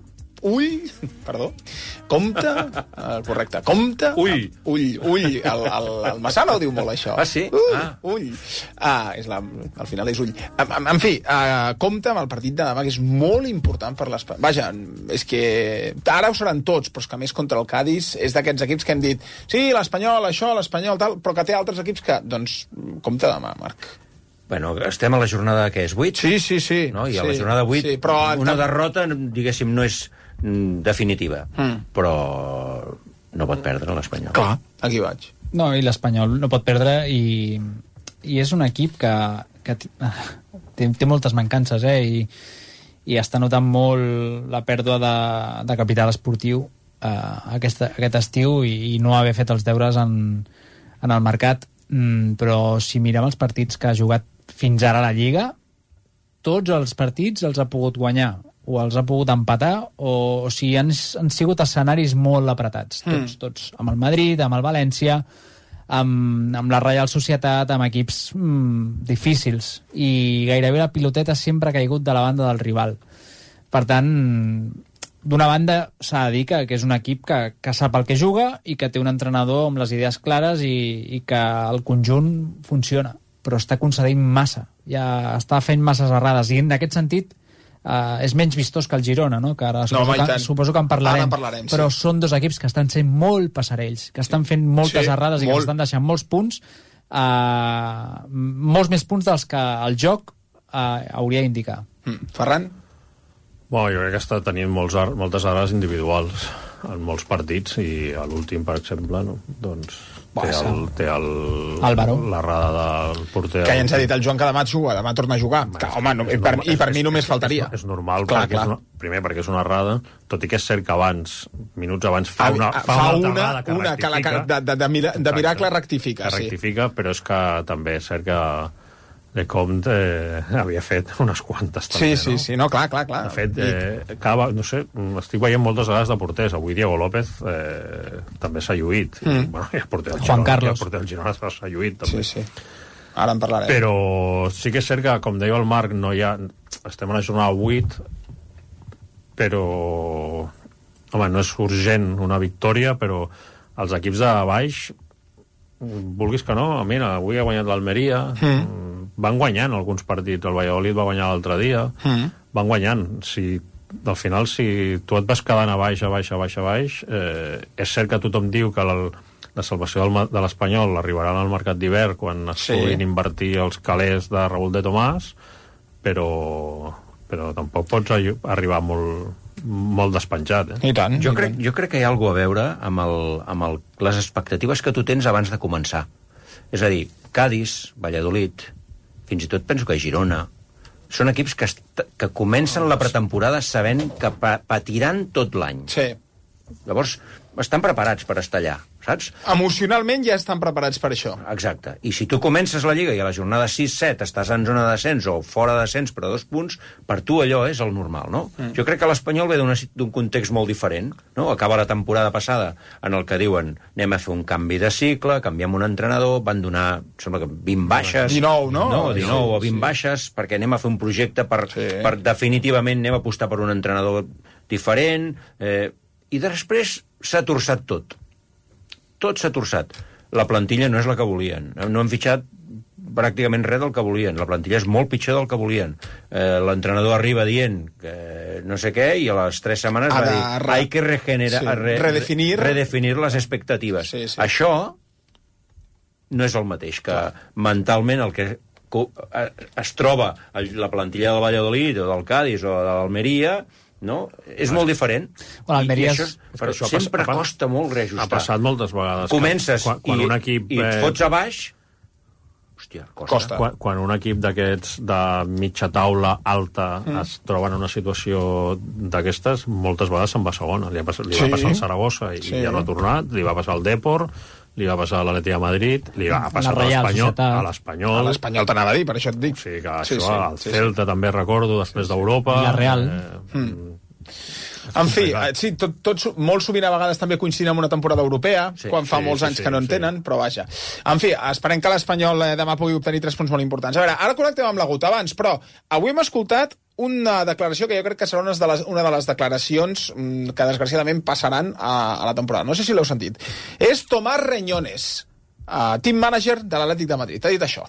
compte, correcte, compte, ull, el Massana ho diu molt, això. Ah, sí? Ull. Al final és ull. En fi, compte amb el partit de demà, que és molt important per l'Espanyol. Vaja, és que ara ho seran tots, però és que més contra el Cádiz és d'aquests equips que hem dit, sí, l'Espanyol, això, l'Espanyol, tal, però que té altres equips que, doncs, compte demà, Marc. Bueno, estem a la jornada, què és, 8? Sí. No? I a la jornada 8, però una derrota, diguéssim, no és definitiva, però no pot perdre l'Espanyol. Clar, aquí vaig. No, i l'Espanyol no pot perdre i és un equip que té moltes mancances, i està notant molt la pèrdua de capital esportiu aquest estiu i no haver fet els deures en el mercat, però si mirem els partits que ha jugat fins ara a la Lliga, tots els partits els ha pogut guanyar o els ha pogut empatar, o sigui, han sigut escenaris molt apretats, tots, amb el Madrid, amb el València, amb la Reial Societat, amb equips difícils, i gairebé la piloteta sempre ha caigut de la banda del rival. Per tant, d'una banda s'ha de dir que és un equip que sap el que juga i que té un entrenador amb les idees clares i que el conjunt funciona, però està concedint massa, ja està fent masses errades, i en aquest sentit és menys vistós que el Girona, no? Que ara suposo que en parlarem, però són dos equips que estan sent molt passarells, que estan fent moltes errades i que estan deixant molts punts, molts més punts dels que el joc hauria d'indicar. Ferran? Bueno, jo crec que està tenint moltes errades individuals en molts partits, i a l'últim, per exemple, no? Doncs té l'errada del porter... Que ja ens ha dit el Joan que demà torna a jugar. I per mi només faltaria. És normal, primer perquè és una errada, tot i que és cert que minuts abans fa una errada que de miracle rectifica. Que rectifica, però és que també és cert que Lecomte havia fet unes quantes també, sí, no, clar. De fet, no sé, estic veient moltes vegades de porters. Avui Diego López també s'ha lluït. Bueno, i el porter del Girona s'ha lluït també. Sí. Ara en parlarem. Però sí que és cert que, com deia el Marc, estem a la jornada 8, però home, no és urgent una victòria, però els equips de baix, vulguis que no, mira, avui ha guanyat l'Almeria, van guanyant alguns partits, el Valladolid va guanyar l'altre dia, van guanyant. Al final, si tu et vas quedant a baix, és cert que tothom diu que la salvació de l'Espanyol arribarà al mercat d'hivern quan es puguin invertir els calés de Raúl de Tomàs, però tampoc pots arribar molt despenjat. I tant. Jo crec que hi ha alguna a veure amb les expectatives que tu tens abans de començar. És a dir, Cádiz, Valladolid, fins i tot penso que Girona, són equips que comencen la pretemporada sabent que patiran tot l'any. Sí. Llavors, estan preparats per estar allà, saps? Emocionalment ja estan preparats per això. Exacte. I si tu comences la Lliga i a la jornada 6-7 estàs en zona de descens o fora de descens per 2 punts, per tu allò és el normal, no? Jo crec que l'Espanyol ve d'un context molt diferent, no? Acaba la temporada passada en el que diuen anem a fer un canvi de cicle, canviem un entrenador, van donar, sembla que 20 baixes... 19, no? No, 19 o 20 baixes, perquè anem a fer un projecte per definitivament anem a apostar per un entrenador diferent... I després s'ha torçat tot. Tot s'ha torçat. La plantilla no és la que volien. No han fitxat pràcticament res del que volien. La plantilla és molt pitjor del que volien. L'entrenador arriba dient que no sé què, i a les 3 setmanes va dir hay que redefinir les expectatives. Això no és el mateix que mentalment el que es troba la plantilla del Valladolid o del Cádiz o de l'Almeria, no? És molt diferent. Però sempre costa molt reajustar. Ha passat moltes vegades. Comences i et fots a baix. Hòstia, costa. Quan un equip d'aquests de mitja taula alta es troba en una situació d'aquestes, moltes vegades se'n va a segona. Li va passar al Saragossa i ja no ha tornat, li va passar al Depor, li va passar a l'Atlètic de Madrid, li va passar a l'Espanyol. A l'Espanyol t'anava a dir, per això et dic. Sí, que això, al Celta també recordo, després d'Europa. I la Real. En fi, tots molt sovint a vegades també coinciden amb una temporada europea, quan fa molts anys que no en tenen, però vaja. En fi, esperem que l'Espanyol demà pugui obtenir 3 punts molt importants. A veure, ara connectem amb l'Agut abans, però avui hem escoltat una declaració que jo crec que serà una de les declaracions que desgraciadament passaran a la temporada. No sé si l'heu sentit. És Tomás Reñones, team manager de l'Atlètic de Madrid. Ha dit això.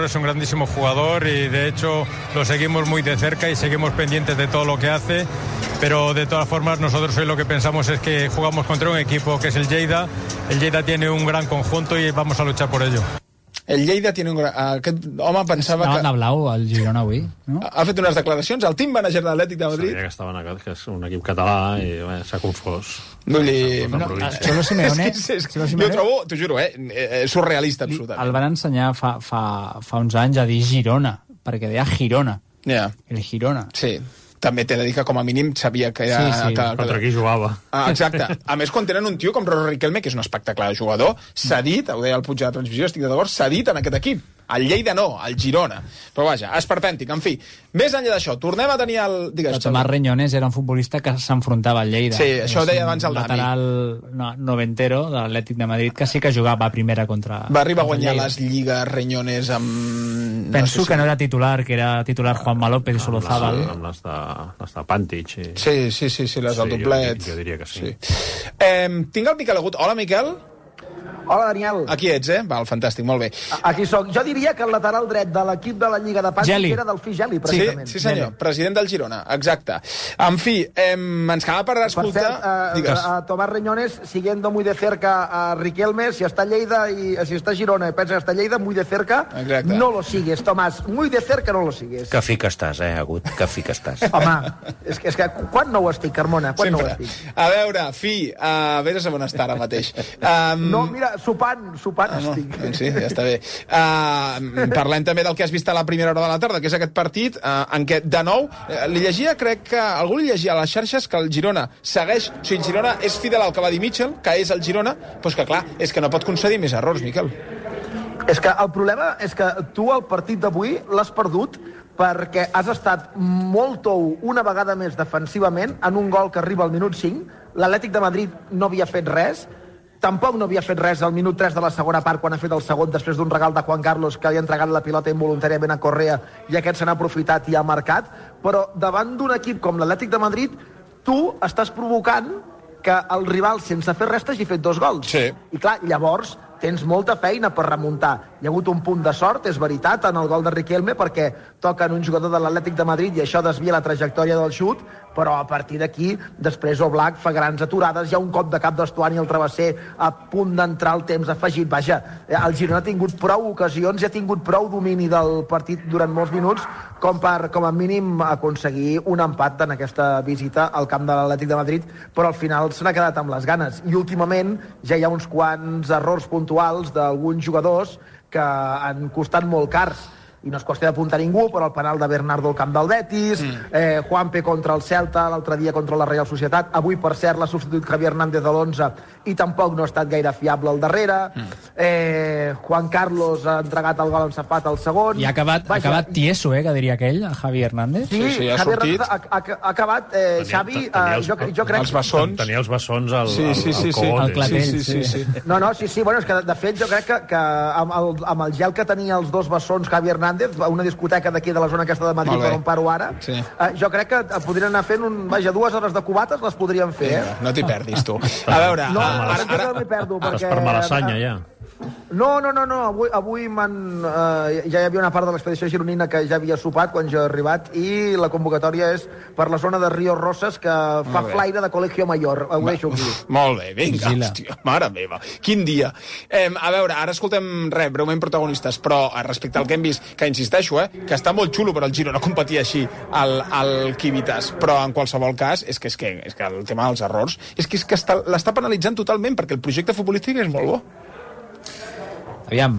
Es un grandísimo jugador y de hecho lo seguimos muy de cerca y seguimos pendientes de todo lo que hace, pero de todas formas nosotros hoy lo que pensamos es que jugamos contra un equipo que es el Lleida. El Lleida tiene un gran conjunto y vamos a luchar por ello. El Lleida tiene un gran... Aquest home pensava que... de blau, el Girona avui, no? Ha fet unes declaracions, el team manager de l'Atlètic de Madrid. Sabia que estava en aquest, que és un equip català i s'ha confós. Cholo Simeone... Jo ho trobo, t'ho juro, surrealista, absolutament. El van ensenyar fa uns anys a dir Girona, perquè deia Girona. El Girona. Sí. També t'he de dir que com a mínim sabia que era... Contra qui jugava. Exacte. A més, quan tenen un tio com Roro Riquelme, que és un espectacle de jugador, s'ha dit, ho deia el Puig de la Transmissió, estic d'acord, s'ha dit en aquest equip. El Lleida no, el Girona. Però vaja, esperpèntic. En fi, més enllà d'això, tornem a tenir el... Digues, Tomás Reñones era un futbolista que s'enfrontava al Lleida. Sí, això ho deia abans el Dami. Lateral noventero de l'Atlètic de Madrid, que sí que jugava a primera contra... Va arribar a guanyar les lligues Reñones amb... Penso que no era titular, que era titular Juanma López i Solozábal. Amb les de Pàntic. Sí, les del doblet. Jo diria que sí. Tinc el Miquel Agut. Hola, Miquel. Hola, Daniel. Aquí ets, Val, fantàstic, molt bé. Aquí soc. Jo diria que el lateral dret de l'equip de la Lliga de Pàntic era del Geli, precisament. Sí, senyor, president del Girona, exacte. En fi, ens quedava per escoltar... Per cert, a Tomás Reñones, siguiendo muy de cerca a Riquelme, si está Lleida y si está Girona y piensa que está Lleida, muy de cerca, no lo sigues, Tomás. Muy de cerca no lo sigues. Que fi que estàs, Agut, que fi que estàs. Home, és que quan no ho estic, Carmona? Quan no ho estic? A veure, vés a on està ara mateix. No, mira, sopant estic. Sí, ja està bé. Parlem també del que has vist a la primera hora de la tarda, que és aquest partit en què, de nou, li llegia, crec que algú li llegia a les xarxes que el Girona segueix, o sigui, el Girona és fidel al que va dir Mitchell, que és el Girona, doncs que clar, és que no pot concedir més errors, Miquel. És que el problema és que tu el partit d'avui l'has perdut perquè has estat molt tou una vegada més defensivament en un gol que arriba al minut 5. L'Atlètic de Madrid no havia fet res, tampoc no havia fet res al minut 3 de la segona part quan ha fet el segon després d'un regal de Juan Carlos que li ha entregat la pilota involuntàriament a Correa i aquest se n'ha aprofitat i ha marcat, però davant d'un equip com l'Atlètic de Madrid tu estàs provocant que el rival sense fer res t'hagi fet 2 gols. Sí. I clar, llavors tens molta feina per remuntar. Hi ha hagut un punt de sort, és veritat, en el gol de Riquelme, perquè toca en un jugador de l'Atlètic de Madrid i això desvia la trajectòria del xut, però a partir d'aquí, després Oblak fa grans aturades, hi ha un cop de cap d'Estuani al travesser a punt d'entrar el temps afegit. Vaja, el Girona ha tingut prou ocasions i ha tingut prou domini del partit durant molts minuts com per, com a mínim, aconseguir un empat en aquesta visita al camp de l'Atlètic de Madrid, però al final se n'ha quedat amb les ganes. I últimament ja hi ha uns quants errors puntuals d'alguns jugadors que han costat molt cars. I no es qüestió d'apuntar ningú, però el penal de Bernardo al camp del Betis, Juanpe contra el Celta, l'altre dia contra la Real Societat, avui, per cert, l'ha substituït Javier Hernández de l'11 i tampoc no ha estat gaire fiable al darrere, Juan Carlos ha entregat el gol en Zapata al segon... I ha acabat tieso, que diria aquell, Javi Hernández. Sí, ha sortit. Ha acabat, Xavi, jo crec... Els bessons. Tenia els bessons al al clatell. Sí. No, bueno, és que de fet jo crec que amb el gel que tenia els 2 bessons Javi Hernández, una discoteca d'aquí de la zona aquesta de Madrid per on paro ara, jo crec que podrien anar fent 2 hores de cubates, les podrien fer. No t'hi perdis, tu. A veure... No, ara no m'hi perdo, perquè... Estàs per Malassanya, ja. No. Avui ja hi havia una part de l'expedició gironina que ja havia sopat quan jo he arribat i la convocatòria és per la zona de Ríos Rosas, que fa flaire de Colegio Mayor. Ho deixo aquí. Molt bé, vinga, hòstia, mare meva. Quin dia. A veure, ara escoltem breument protagonistes, però respecte al que hem vist, que insisteixo, que està molt xulo per al Girona competir així al Civitas, però en qualsevol cas és que el tema dels errors és que l'està penalitzant totalment, perquè el projecte futbolístic és molt bo. Aviam,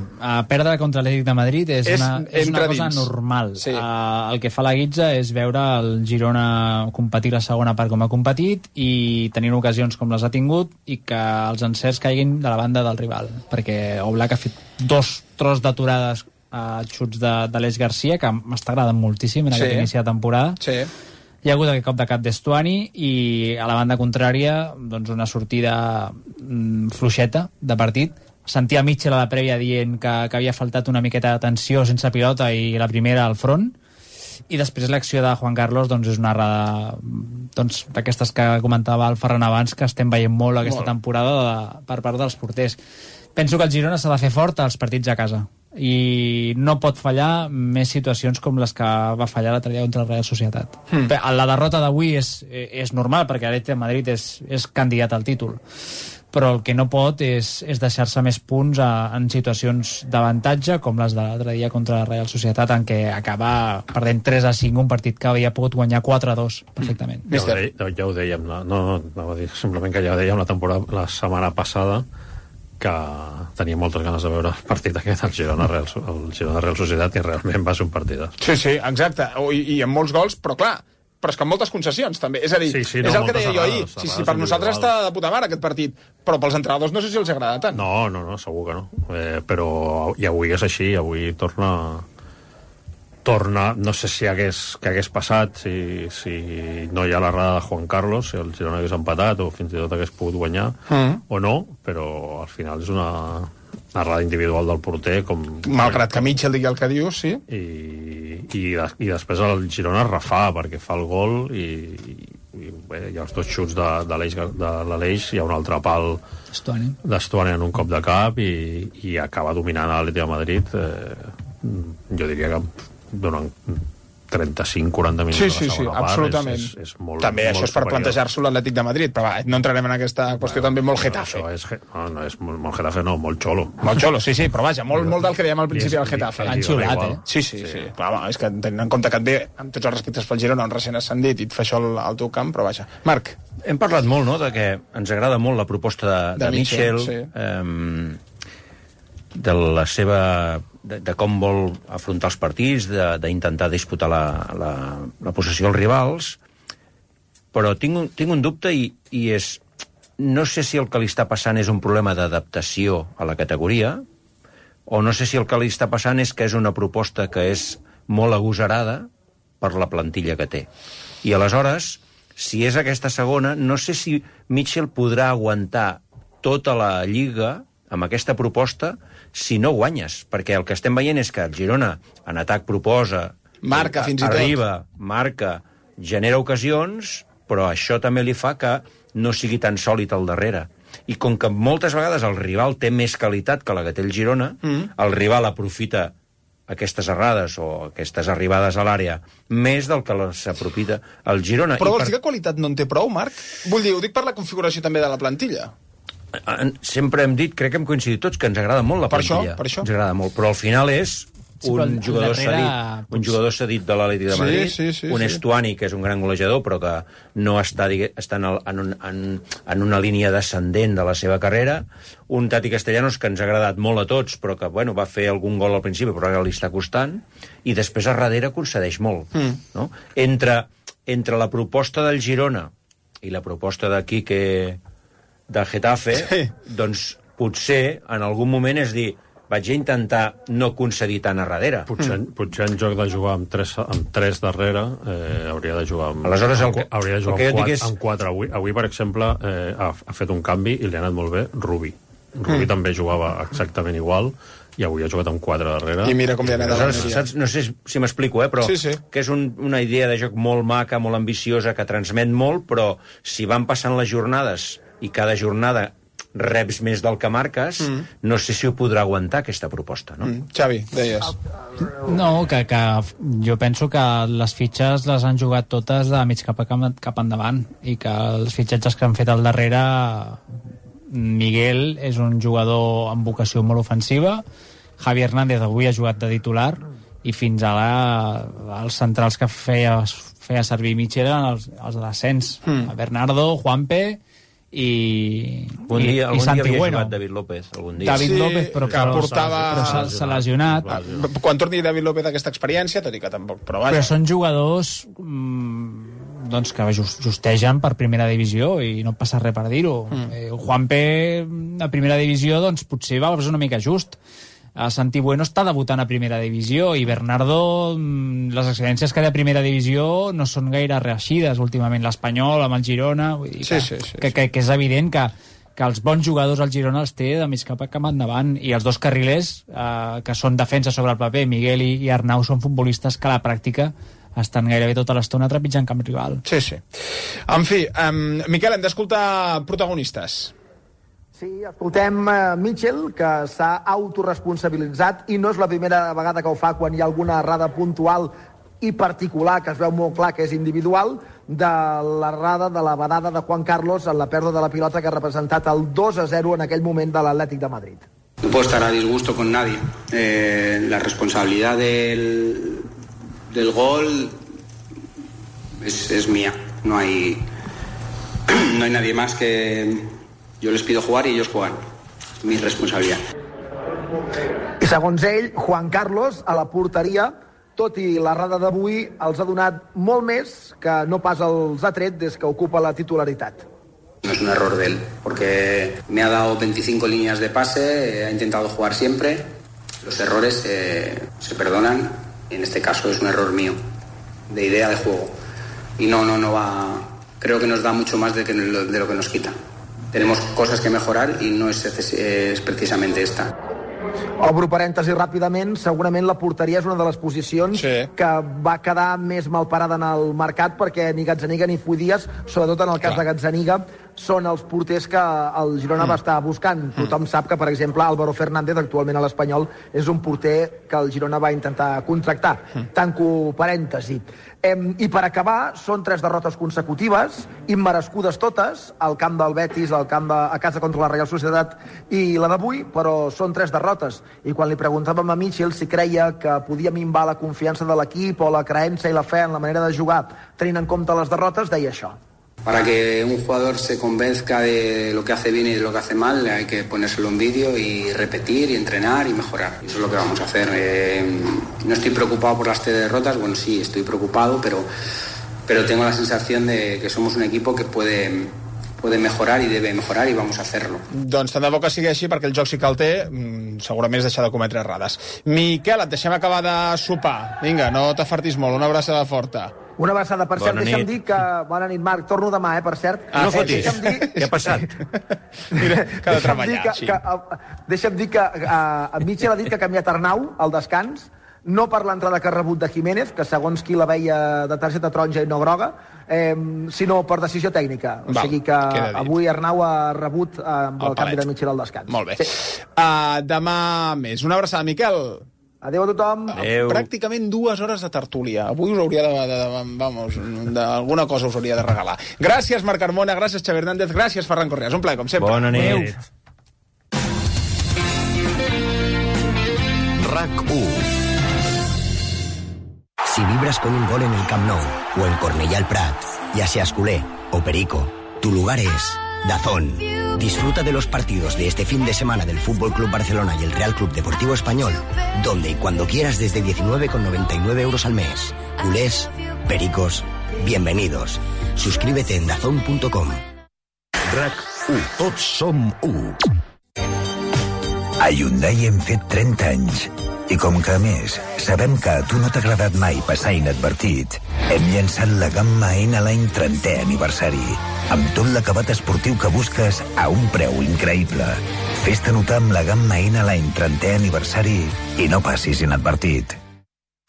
perdre contra l'Atlètic de Madrid és una cosa normal. Sí. El que fa la guitza és veure el Girona competir la segona part com ha competit i tenint ocasions com les ha tingut i que els encerts caiguin de la banda del rival, perquè Oblak ha fet 2 tros d'aturades a xuts d'Aleix Garcia, que m'està agradant moltíssim en aquest inici de temporada. Sí. Hi ha hagut aquest cop de cap d'Estuani i a la banda contrària doncs una sortida fluixeta de partit. Sentia Mitchell a la prèvia dient que havia faltat una miqueta d'atenció sense pilota i la primera al front, i després l'acció de Juan Carlos doncs és una errada d'aquestes que comentava el Ferran abans, que estem veient molt aquesta temporada per part dels porters. Penso que el Girona s'ha de fer fort als partits a casa i no pot fallar més situacions com les que va fallar l'altre dia contra la Real Societat. La derrota d'avui és normal, perquè l'Atlètic de Madrid és candidat al títol, però el que no pot és deixar-se més punts en situacions d'avantatge com les de l'altre dia contra la Real Societat, en què acaba perdent 3-5 un partit que havia pogut guanyar 4-2 perfectament. Ja ho dèiem, no va dir, simplement que ja ho dèiem la setmana passada, que tenia moltes ganes de veure el partit aquest, el Girona Real Societat, i realment va ser un partidàs. Sí, exacte, i amb molts gols, però clar, però és que amb moltes concessions, també. És a dir, és el que deia jo ahir. Sí, per nosaltres està de puta mare aquest partit, però pels entrenadors no sé si els agrada tant. No, segur que no. Però i avui és així, avui torna... No sé si hagués passat, si no hi ha l'errada de Juan Carlos, si el Girona hagués empatat o fins i tot hagués pogut guanyar, o no, però al final és una errada individual del porter. Malgrat que Mitchell digui el que diu, sí. I després el Girona refà perquè fa el gol i bé, hi ha els 2 xuts de l'Aleix, hi ha un altre pal d'Estuani en un cop de cap i acaba dominant l'Atlètic de Madrid, jo diria que durant 35-40 minuts de la segona part. Absolutament. És molt, també molt això és per plantejar-s'ho l'Atlètic de Madrid, però no entrarem en aquesta qüestió també molt Getafe. No és molt Getafe, no, molt xolo. Molt xolo, sí, però vaja, molt del que dèiem al principi del Getafe. Han xulat, Sí. Clar, és que tenint en compte que et ve, amb tots els respectes pel Girona, un recent ascendit, i et fa això al teu camp, però vaja. Marc. Hem parlat molt, no?, de que ens agrada molt la proposta de Mitchell, de la seva... de com vol afrontar els partits, d'intentar disputar la possessió als rivals, però tinc un dubte i és... No sé si el que li està passant és un problema d'adaptació a la categoria, o no sé si el que li està passant és que és una proposta que és molt agosarada per la plantilla que té. I aleshores, si és aquesta segona, no sé si Mitchell podrà aguantar tota la Lliga amb aquesta proposta si no guanyes, perquè el que estem veient és que el Girona en atac proposa, marca fins i tot, arriba, marca, genera ocasions, però això també li fa que no sigui tan sòlid al darrere. I com que moltes vegades el rival té més qualitat que la que té el Girona, el rival aprofita aquestes errades o aquestes arribades a l'àrea més del que s'aprofita el Girona. Però vols dir que qualitat no en té prou, Marc? Vull dir, ho dic per la configuració també de la plantilla. Sempre hem dit, crec que hem coincidit tots, que ens agrada molt la plantilla. Per això. Ens agrada molt, però al final és un jugador cedit de l'Atlètic de Madrid, un Estuani, que és un gran golejador, però que no està en una línia descendent de la seva carrera, un Tati Castellanos que ens ha agradat molt a tots, però que va fer algun gol al principi, però ara li està costant, i després a darrere concedeix molt. No? Entre la proposta del Girona i la proposta de Quique de Getafe, doncs potser en algun moment és dir, vaig a intentar no concedir tant a darrere. Potser en joc de jugar amb tres darrere hauria de jugar amb... Aleshores, hauria de jugar amb 4. Avui, per exemple, ha fet un canvi i li ha anat molt bé Rubí. Rubí també jugava exactament igual i avui ha jugat amb 4 darrere. I mira com li ha anat. Aleshores, no sé si m'explico, però que és una idea de joc molt maca, molt ambiciosa, que transmet molt, però si van passant les jornades i cada jornada reps més del que marques, no sé si ho podrà aguantar, aquesta proposta, no? Xavi, deies. No, que jo penso que les fitxes les han jugat totes de mig cap endavant, i que els fitxatges que han fet al darrere... Miguel és un jugador amb vocació molt ofensiva, Javi Hernández avui ha jugat de titular, i fins ara els centrals que feia servir Mitchell eren els de l'ascens, Bernardo, Juanpe i Algun dia havia Bueno. jugat David López, algun dia. David López, però s'ha lesionat. Quan torni David López d'aquesta experiència, tot i que tampoc... Però són jugadors doncs que justegen per primera divisió i no passa res per dir-ho. Juanpe a primera divisió doncs potser va ser una mica just. Santi Bueno està debutant a primera divisió i Bernardo, les experiències que té a primera divisió no són gaire reeixides últimament, l'Espanyol amb el Girona, vull dir que és evident que els bons jugadors al Girona els té de mig cap endavant, i els dos carrilers que són defensa sobre el paper, Miguel i Arnau, són futbolistes que a la pràctica estan gairebé tota l'estona trepitjant camp rival. Sí. En fi, Miquel, hem d'escoltar protagonistes. Sí, escoltem Mitchell, que s'ha autoresponsabilitzat, i no és la primera vegada que ho fa quan hi ha alguna errada puntual i particular, que es veu molt clar que és individual, de l'errada, de la badada de Juan Carlos en la pèrdua de la pilota que ha representat el 2-0 en aquell moment de l'Atlètic de Madrid. No puedo estar a disgusto con nadie. La responsabilidad del gol es mía. No hay nadie más que... Yo les pido jugar y ellos juegan. Es mi responsabilidad. I segons ell, Juan Carlos, a la porteria, tot i l'errada d'avui, els ha donat molt més que no pas els ha tret des que ocupa la titularitat. No es un error de él, porque me ha dado 25 líneas de pase, ha intentado jugar siempre. Los errores se perdonan, y en este caso es un error mío, de idea de juego. Y no va... Creo que nos da mucho más de lo que nos quita. Tenemos cosas que mejorar y no es precisamente esta. Obro parèntesi ràpidament, segurament la porteria és una de les posicions que va quedar més mal parada en el mercat, perquè ni Gazzaniga ni Fuidias, sobretot en el cas de Gazzaniga, són els porters que el Girona va estar buscant. Tothom sap que, per exemple, Álvaro Fernández, actualment a l'Espanyol, és un porter que el Girona va intentar contractar. Tanco parèntesi. I per acabar, són 3 derrotes consecutives, immerescudes totes, al camp del Betis, a casa contra la Real Societat i la d'avui, però són 3 derrotes. I quan li preguntàvem a Mitchell si creia que podia minvar la confiança de l'equip o la creença i la fe en la manera de jugar, tenint en compte les derrotes, deia això. Para que un jugador se convenzca de lo que hace bien y de lo que hace mal, hay que ponérselo en vídeo y repetir y entrenar y mejorar. Eso es lo que vamos a hacer. No estoy preocupado por las 3 derrotas, bueno, sí, estoy preocupado, pero tengo la sensación de que somos un equipo que puede mejorar i debe mejorar, i vamos a hacerlo. Doncs tant de bo que sigui així, perquè el joc sí que el té, segurament és deixar de cometre errades. Miquel, et deixem acabar de sopar. Vinga, no t'afartis molt, una abraçada forta. Una abraçada, per cert, deixa'm dir que... Bona nit, Marc, torno demà, per cert. No fotis, què ha passat? Mira, que ha de treballar, així. Deixa'm dir que Mitchell ha dit que ha canviat Arnau al descans, no per l'entrada que ha rebut de Jiménez, que segons qui la veia de targeta taronja i no groga, sinó per decisió tècnica. O sigui que avui Arnau ha rebut el canvi de Mitchell al descans. Molt bé. Demà més. Una abraçada, Miquel. Adéu a tothom. Adéu. Pràcticament 2 hores de tertúlia. Avui us hauria d'alguna cosa us hauria de regalar. Gràcies, Marc Carmona, gràcies, Xavi Hernández, gràcies, Ferran Correas. Un plaer, com sempre. Bona nit. RAC1. Si vibras con un gol en el Camp Nou o en Cornellà el Prat, ya seas culé o perico, tu lugar es DAZN. Disfruta de los partidos de este fin de semana del Fútbol Club Barcelona y el Real Club Deportivo Español, donde y cuando quieras desde 19,99 euros al mes. Culés, pericos, bienvenidos. Suscríbete en dazn.com. RAC1. Tots som 1. A Hyundai hem fet 30 anys. I com que, a més, sabem que a tu no t'ha agradat mai passar inadvertit, hem llançat la gamma N a l'any 30è aniversari, amb tot l'acabat esportiu que busques a un preu increïble. Fes-te notar amb la gamma N a l'any 30è aniversari i no passis inadvertit.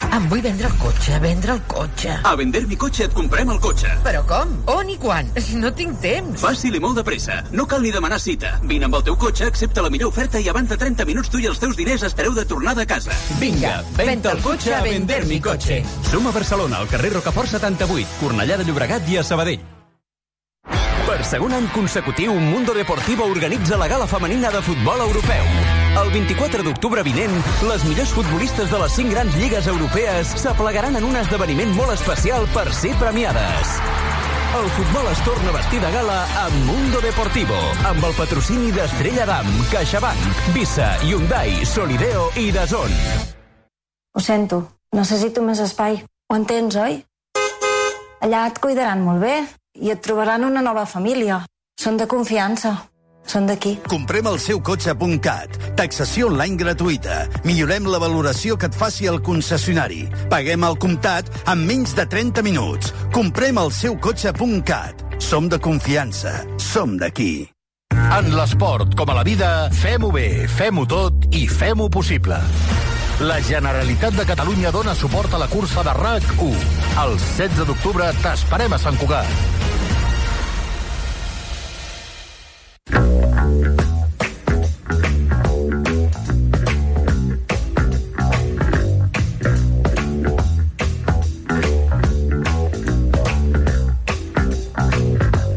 Em vull vendre el cotxe. A Vender mi cotxe et comprem el cotxe. Però com? On i quan? No tinc temps. Fàcil i molt de pressa. No cal ni demanar cita. Vine amb el teu cotxe, accepta la millor oferta i abans de 30 minuts tu i els teus diners espereu de tornada a casa. Vinga, venta el cotxe a Vender mi cotxe. Som a Barcelona, al carrer Rocafort 78, Cornellà de Llobregat i a Sabadell. Per segon any consecutiu, Mundo Deportivo organitza la gala femenina de futbol europeu. El 24 d'octubre vinent, les millors futbolistes de les 5 grans lligues europees s'aplegaran en un esdeveniment molt especial per ser premiades. El futbol es torna a vestir de gala amb Mundo Deportivo, amb el patrocini d'Estrella Damm, CaixaBank, Visa, Hyundai, Solideo i DAZN. Ho sento, necessito més espai. Ho entens, oi? Allà et cuidaran molt bé i et trobaran una nova família. Són de confiança. Són d'aquí. Comprem el seu cotxe.cat. Taxació online gratuïta. Millorem la valoració que et faci el concessionari. Paguem al comptat en menys de 30 minuts. Comprem el seu cotxe.cat. Som de confiança. Som d'aquí. En l'esport, com a la vida, fem-ho bé, fem-ho tot i fem-ho possible. La Generalitat de Catalunya dona suport a la cursa de RAC1. El 16 d'octubre t'esperem a Sant Cugat.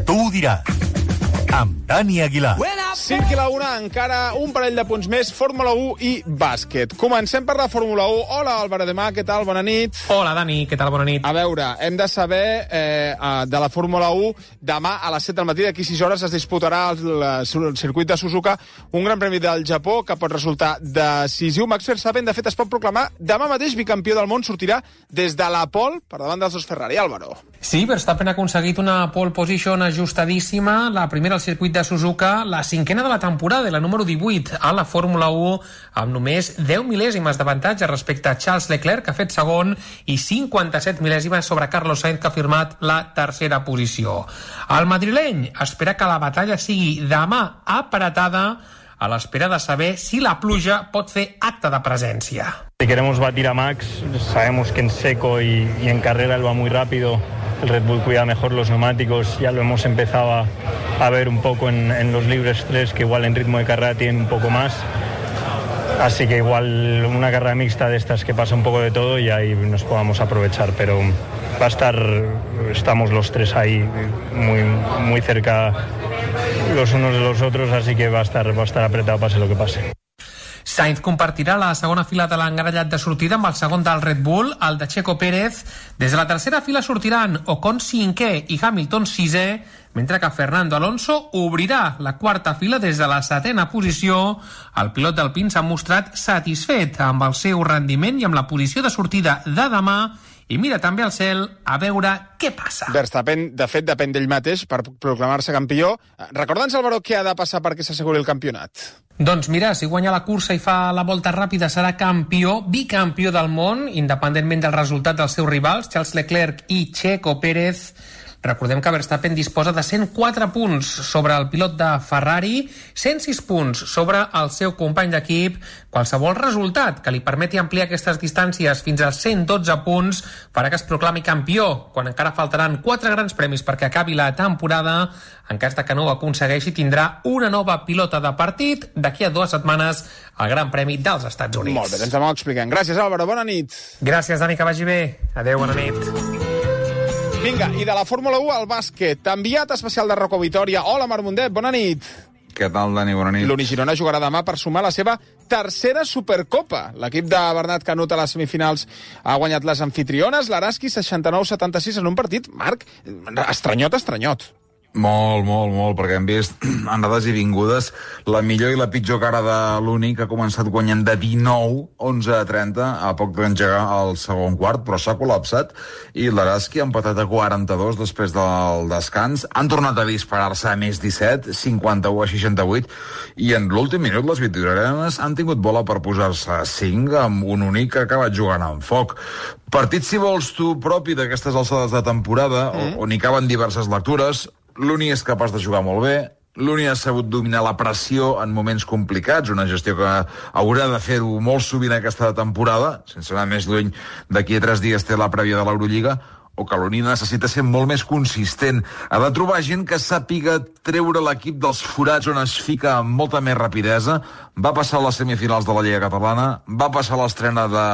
Tu ho diràs, amb Dani Aguilar. 5 i la 1, encara un parell de punts més, Fórmula 1 i bàsquet. Comencem per la Fórmula 1. Hola, Álvaro de Mar, què tal? Bona nit. Hola, Dani, què tal? Bona nit. A veure, hem de saber de la Fórmula 1, demà a les 7 del matí, d'aquí 6 hores, es disputarà el circuit de Suzuka, un gran premi del Japó que pot resultar decisiu. Max Verstappen, de fet, es pot proclamar demà mateix bicampió del món, sortirà des de la pole per davant dels dos Ferrari. Álvaro. Sí, Verstappen ha aconseguit una pole position ajustadíssima, la primera al circuit de Suzuka, la 5a de la temporada, la número 18 a la Fórmula 1, amb només 10 mil·lèsimes d'avantatge respecte a Charles Leclerc, que ha fet segon, i 57 mil·lèsimes sobre Carlos Sainz, que ha firmat la tercera posició. El madrileny espera que la batalla sigui demà apretada, a l'espera de saber si la pluja pot fer acte de presència. Si queremos batir a Max, sabemos que en seco y en carrera él va muy rápido. El Red Bull cuida mejor los neumáticos, ya lo hemos empezado a ver un poco en los libres 3, que igual en ritmo de carrera tienen un poco más. Así que igual una carrera mixta de estas que pasa un poco de todo y ahí nos podamos aprovechar, pero va a estar, estamos los tres ahí muy cerca los unos de los otros, así que va a estar apretado pase lo que pase. Sainz compartirà la segona fila de l'engarellat de sortida amb el segon del Red Bull, el de Checo Pérez. Des de la tercera fila sortiran Ocon 5è i Hamilton 6è, mentre que Fernando Alonso obrirà la quarta fila des de la 7a posició. El pilot d'Alpine s'ha mostrat satisfet amb el seu rendiment i amb la posició de sortida de demà, i mira també al cel a veure què passa. Verstappen, de fet, depèn d'ell mateix per proclamar-se campió. Recorda'ns, Álvaro, què ha de passar perquè s'asseguri el campionat? Doncs mira, si guanya la cursa i fa la volta ràpida serà campió, bicampió del món, independentment del resultat dels seus rivals, Charles Leclerc i Checo Pérez. Recordem que Verstappen disposa de 104 punts sobre el pilot de Ferrari, 106 punts sobre el seu company d'equip. Qualsevol resultat que li permeti ampliar aquestes distàncies fins als 112 punts farà que es proclami campió, quan encara faltaran 4 grans premis perquè acabi la temporada. En cas de que no ho aconsegueixi, tindrà una nova pilota de partit d'aquí a 2 setmanes al Gran Premi dels Estats Units. Molt bé, doncs demà ho expliquem. Gràcies, Álvaro, bona nit. Gràcies, Dani, que vagi bé. Adéu, bona nit. Vinga, i de la Fórmula 1 al bàsquet. Enviat especial de Rocco Vitòria. Hola, Marc Mundet, bona nit. Què tal, Dani? Bona nit. L'Uni Girona jugarà demà per sumar la seva tercera Supercopa. L'equip de Bernat Canut a les semifinals ha guanyat les anfitriones, l'Araski 69-76 en un partit, Marc, estranyot. Molt, perquè hem vist anades i vingudes la millor i la pitjor cara de l'Uni, que ha començat guanyant de 19-11-30 a poc d'engegar el segon quart, però s'ha col·lapsat, i l'Araski ha empatat a 42 després del descans. Han tornat a disparar-se a més 17, 51-68, i en l'últim minut les vitorianes han tingut bola per posar-se a 5 amb un únic que ha acabat jugant amb foc. Partit, si vols tu, propi d'aquestes alçades de temporada, on hi caben diverses lectures. L'Uni és capaç de jugar molt bé, l'Uni ha sabut dominar la pressió en moments complicats, una gestió que haurà de fer-ho molt sovint aquesta temporada, sense anar més lluny, d'aquí a 3 dies té la prèvia de l'Eurolliga, o que l'Uni necessita ser molt més consistent. Ha de trobar gent que sàpiga treure l'equip dels forats on es fica amb molta més rapidesa. Va passar a les semifinals de la Lliga Catalana, va passar a l'estrena de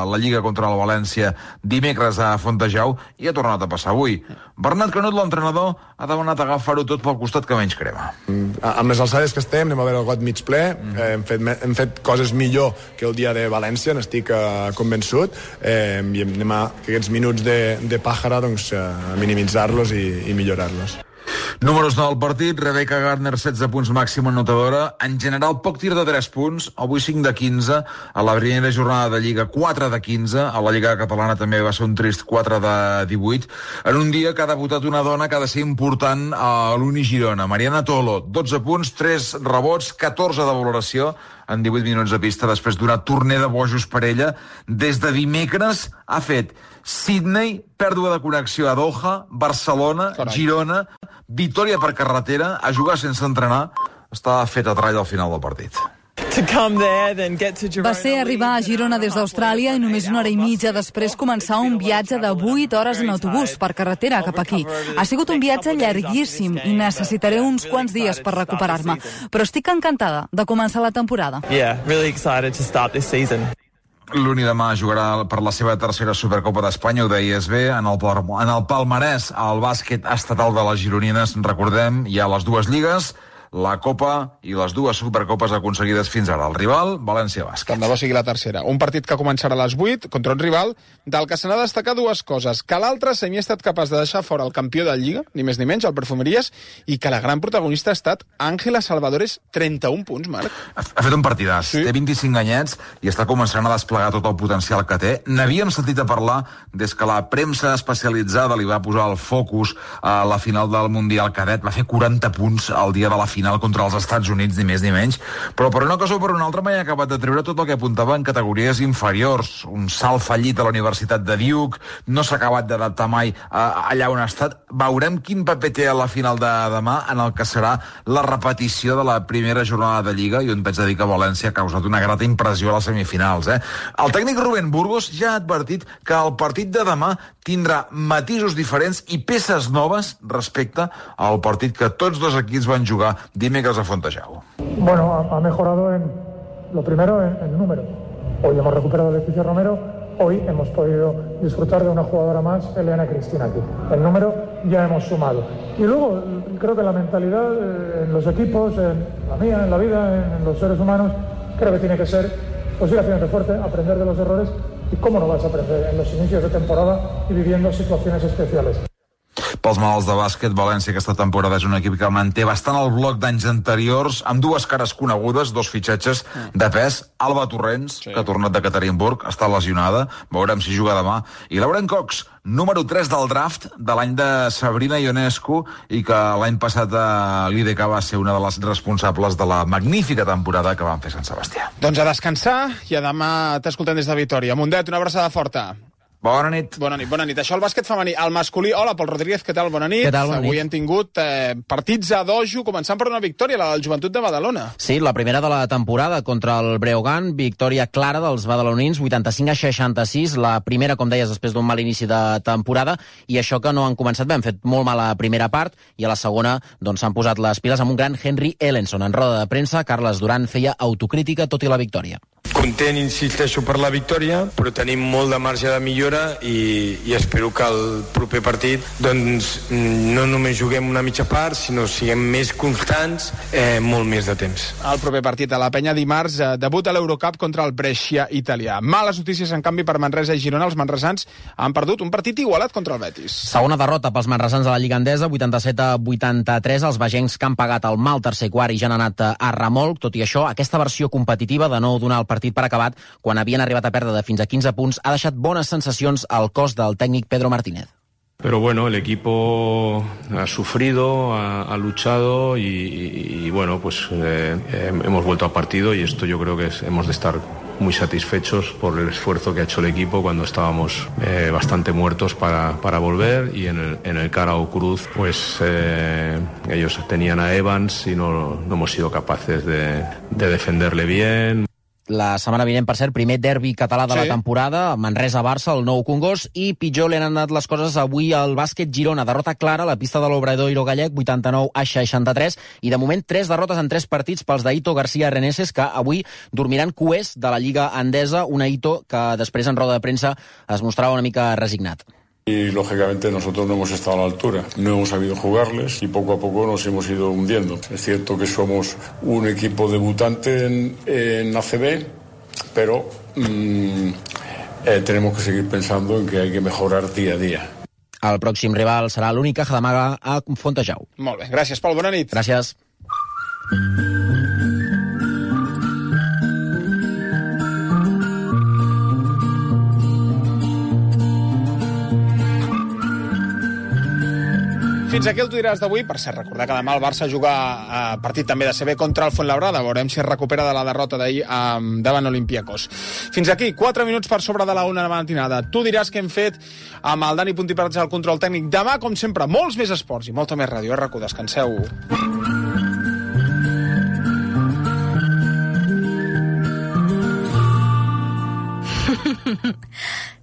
la Lliga contra el València dimecres a Fontejau i ha tornat a passar avui. Bernat Canut, l'entrenador, ha demanat agafar-ho tot pel costat que menys crema. Amb les alçades que estem, anem a veure el got mig ple, hem fet coses millor que el dia de València, n'estic convençut, i anem a aquests minuts de pàjara doncs, a minimitzar-los i millorar-los. Números del partit, Rebecca Gardner, 16 punts màxima anotadora. En general, poc tir de 3 punts, avui 5 de 15. A la primera jornada de Lliga, 4 de 15. A la Lliga Catalana també va ser un trist 4 de 18. En un dia que ha debutat una dona que ha de ser important a l'Uni Girona. Mariana Tolo, 12 punts, 3 rebots, 14 de valoració en 18 minuts de pista després d'una torner de bojos per ella. Des de dimecres ha fet Sydney, pèrdua de connexió a Doha, Barcelona, Girona, victòria per carretera, a jugar sense entrenar. Està fet a trall al final del partit. Va ser arribar a Girona des d'Austràlia i només 1 hora i mitja després començar un viatge de 8 hores en autobús per carretera cap aquí. Ha sigut un viatge llarguíssim i necessitaré uns quants dies per recuperar-me, però estic encantada de començar la temporada. L'Uni demà jugarà per la seva tercera Supercopa d'Espanya, ho deies bé, en el palmarès al bàsquet estatal de les gironines. Recordem, hi ha les 2 lligues, la Copa i les 2 Supercopes aconseguides fins ara. El rival, València Bàsquet. Tant de bo sigui la tercera. Un partit que començarà a les 8 contra un rival del que se n'ha de destacar 2 coses. Que l'altre semi ha estat capaç de deixar fora el campió de Lliga, ni més ni menys, el Perfumeries, i que la gran protagonista ha estat Ángela Salvadores, 31 punts, Marc. Ha fet un partidàs. Sí. Té 25 anyets i està començant a desplegar tot el potencial que té. N'havíem sentit a parlar des que la premsa especialitzada li va posar el focus a la final del Mundial Cadet. Va fer 40 punts al dia de la final contra els Estats Units, ni més ni menys, però per una cosa o per una altra mai ha acabat de treure tot el que apuntava en categories inferiors. Un salt fallit a la Universitat de Duke, no s'ha acabat d'adaptar mai allà on ha estat. Veurem quin paper té a la final de demà en el que serà la repetició de la primera jornada de Lliga, i on vaig dir que València ha causat una grata impressió a les semifinals. El tècnic Rubén Burgos ja ha advertit que el partit de demà tindrà matisos diferents i peces noves respecte al partit que tots 2 equips van jugar dimecres a Fontejau. Bueno, ha mejorado lo primero en número. Hoy hemos recuperado a Leticia Romero, hoy hemos podido disfrutar de una jugadora más, Elena Cristina, aquí. El número ya hemos sumado. Y luego creo que la mentalidad en los equipos, en la mía, en la vida, en los seres humanos, creo que tiene que ser pues ir haciendo fuerte, aprender de los errores. ¿Y cómo no vas a aprender en los inicios de temporada y viviendo situaciones especiales? Pels malalts de bàsquet, València aquesta temporada és un equip que manté bastant el bloc d'anys anteriors, amb 2 cares conegudes, 2 fitxatges de pes. Alba Torrents, que ha tornat de Ekaterinburg, està lesionada, veurem si juga demà. I Lauren Cox, número 3 del draft de l'any de Sabrina Ionescu, i que l'any passat a l'IDK va ser una de les responsables de la magnífica temporada que van fer Sant Sebastià. Doncs a descansar, i a demà t'escoltem des de Vitòria. Mundet, una abraçada forta. Bona nit. Bona nit, bona nit. Això el bàsquet femení. El masculí, hola, Pol Rodríguez, què tal? Bona nit. Què tal? Bona nit. Avui hem tingut partits a dojo, començant per una victòria, la del Joventut de Badalona. Sí, la primera de la temporada contra el Breogán, victòria clara dels badalonins, 85-66, la primera, com deies, després d'un mal inici de temporada, i això que no han començat bé, han fet molt mal a la primera part, i a la segona doncs s'han posat les piles amb un gran Henry Ellenson. En roda de premsa, Carles Duran feia autocrítica tot i la victòria. Content, insisteixo, per la victòria, però tenim molt de marge de millora i espero que el proper partit doncs, no només juguem una mitja part, sinó siguem més constants molt més de temps. El proper partit a la Penya dimarts, debut a l'Eurocup contra el Brescia italià. Males notícies, en canvi, per Manresa i Girona. Els manresans han perdut un partit igualat contra el Betis. Segona derrota pels manresans a la Lliga Endesa, 87-83. Els vegencs que han pagat el mal tercer quart i ja han anat a remolc. Tot i això, aquesta versió competitiva de no donar el partit per acabat quan havien arribat a perdre de fins a 15 punts ha deixat bones sensacions al cos del tècnic Pedro Martínez. Pero bueno, el equipo ha sufrido, ha luchado y bueno, pues hemos vuelto al partido y esto yo creo que hemos de estar muy satisfechos por el esfuerzo que ha hecho el equipo cuando estábamos bastante muertos para volver, y en el Carao Cruz pues ellos tenían a Evans y no hemos sido capaces de defenderle bien. La setmana vinent, per cert, primer derbi català de la temporada, Manresa-Barça, el Nou Congost, i pitjor li han anat les coses avui al bàsquet Girona. Derrota clara a la pista de l'Obradoiro gallec, 89-63, i de moment 3 derrotes en 3 partits pels d'Aito García Reneses, que avui dormiran cuers de la Lliga Endesa, un Aito que després en roda de premsa es mostrava una mica resignat. Y lógicamente nosotros no hemos estado a la altura, no hemos sabido jugarles y poco a poco nos hemos ido hundiendo. Es cierto que somos un equipo debutante en ACB, pero tenemos que seguir pensando en que hay que mejorar día a día. El pròxim rival serà l'Única Jadamaga a Fontejau. Molt bé, gràcies, Pol, bona nit. Gràcies. Fins aquí el Tu diràs d'avui. Per cert, recordar que demà el Barça juga partit també de CB contra el Fuenlabrada. Veurem si es recupera de la derrota d'ahir davant Olympiacos. Fins aquí, 4 minuts per sobre de la 1 de la matinada. Tu diràs què hem fet amb el Dani Puntipats al control tècnic. Demà, com sempre, molts més esports i molta més ràdio. RAC1, descanseu.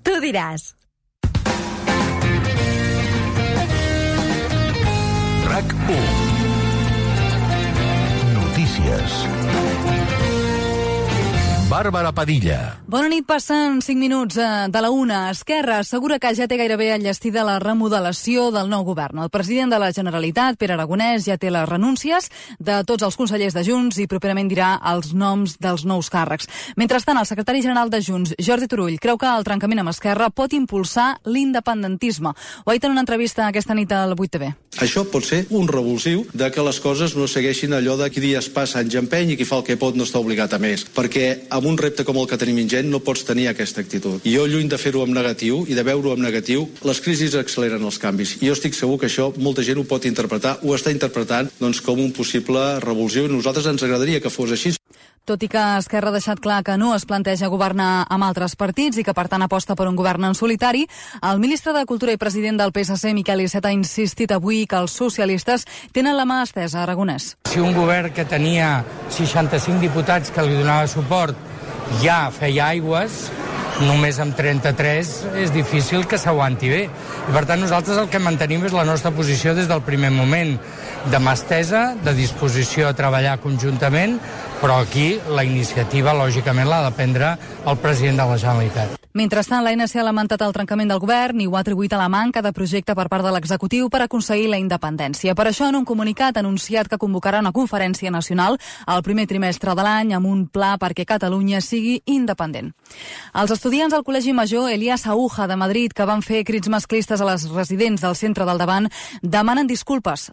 Tu diràs. RAC1. Notícies. Bàrbara Padilla. Bona nit, passen 5 minuts de la 1. Esquerra assegura que ja té gairebé enllestida la remodelació del nou govern. El president de la Generalitat, Pere Aragonès, ja té les renúncies de tots els consellers de Junts i properament dirà els noms dels nous càrrecs. Mentrestant, el secretari general de Junts, Jordi Turull, creu que el trencament amb Esquerra pot impulsar l'independentisme. Ho ha dit en una entrevista aquesta nit al 8TV. Això pot ser un revulsiu de que les coses no segueixin allò de qui dies passa anys empeny i qui fa el que pot no està obligat a més. Perquè amb un repte com el que tenim ingent no pots tenir aquesta actitud. I jo, lluny de fer-ho amb negatiu i de veure-ho amb negatiu, les crisis acceleren els canvis. I jo estic segur que això molta gent ho pot interpretar, ho està interpretant com un possible revulsiu, i a nosaltres ens agradaria que fos així. Tot i que Esquerra ha deixat clar que no es planteja governar amb altres partits i que per tant aposta per un govern en solitari, el ministre de Cultura i president del PSC, Miquel Iceta, ha insistit avui que els socialistes tenen la mà estesa a Aragonès. Si un govern que tenia 65 diputats que li donava suport ja feia aigües, només amb 33 és difícil que s'aguanti bé. I per tant nosaltres el que mantenim és la nostra posició des del primer moment, de mà estesa, de disposició a treballar conjuntament, però aquí la iniciativa lògicament l'ha de prendre el president de la Generalitat. Mentrestant, l'ANC ha lamentat el trencament del govern i ho ha atribuït a la manca de projecte per part de l'executiu per aconseguir la independència. Per això, en un comunicat, ha anunciat que convocarà una conferència nacional al primer trimestre de l'any amb un pla perquè Catalunya sigui independent. Els estudiants del Col·legi Major Elías Aúja de Madrid, que van fer crits masclistes a les residents del centre del Davant, demanen disculpes.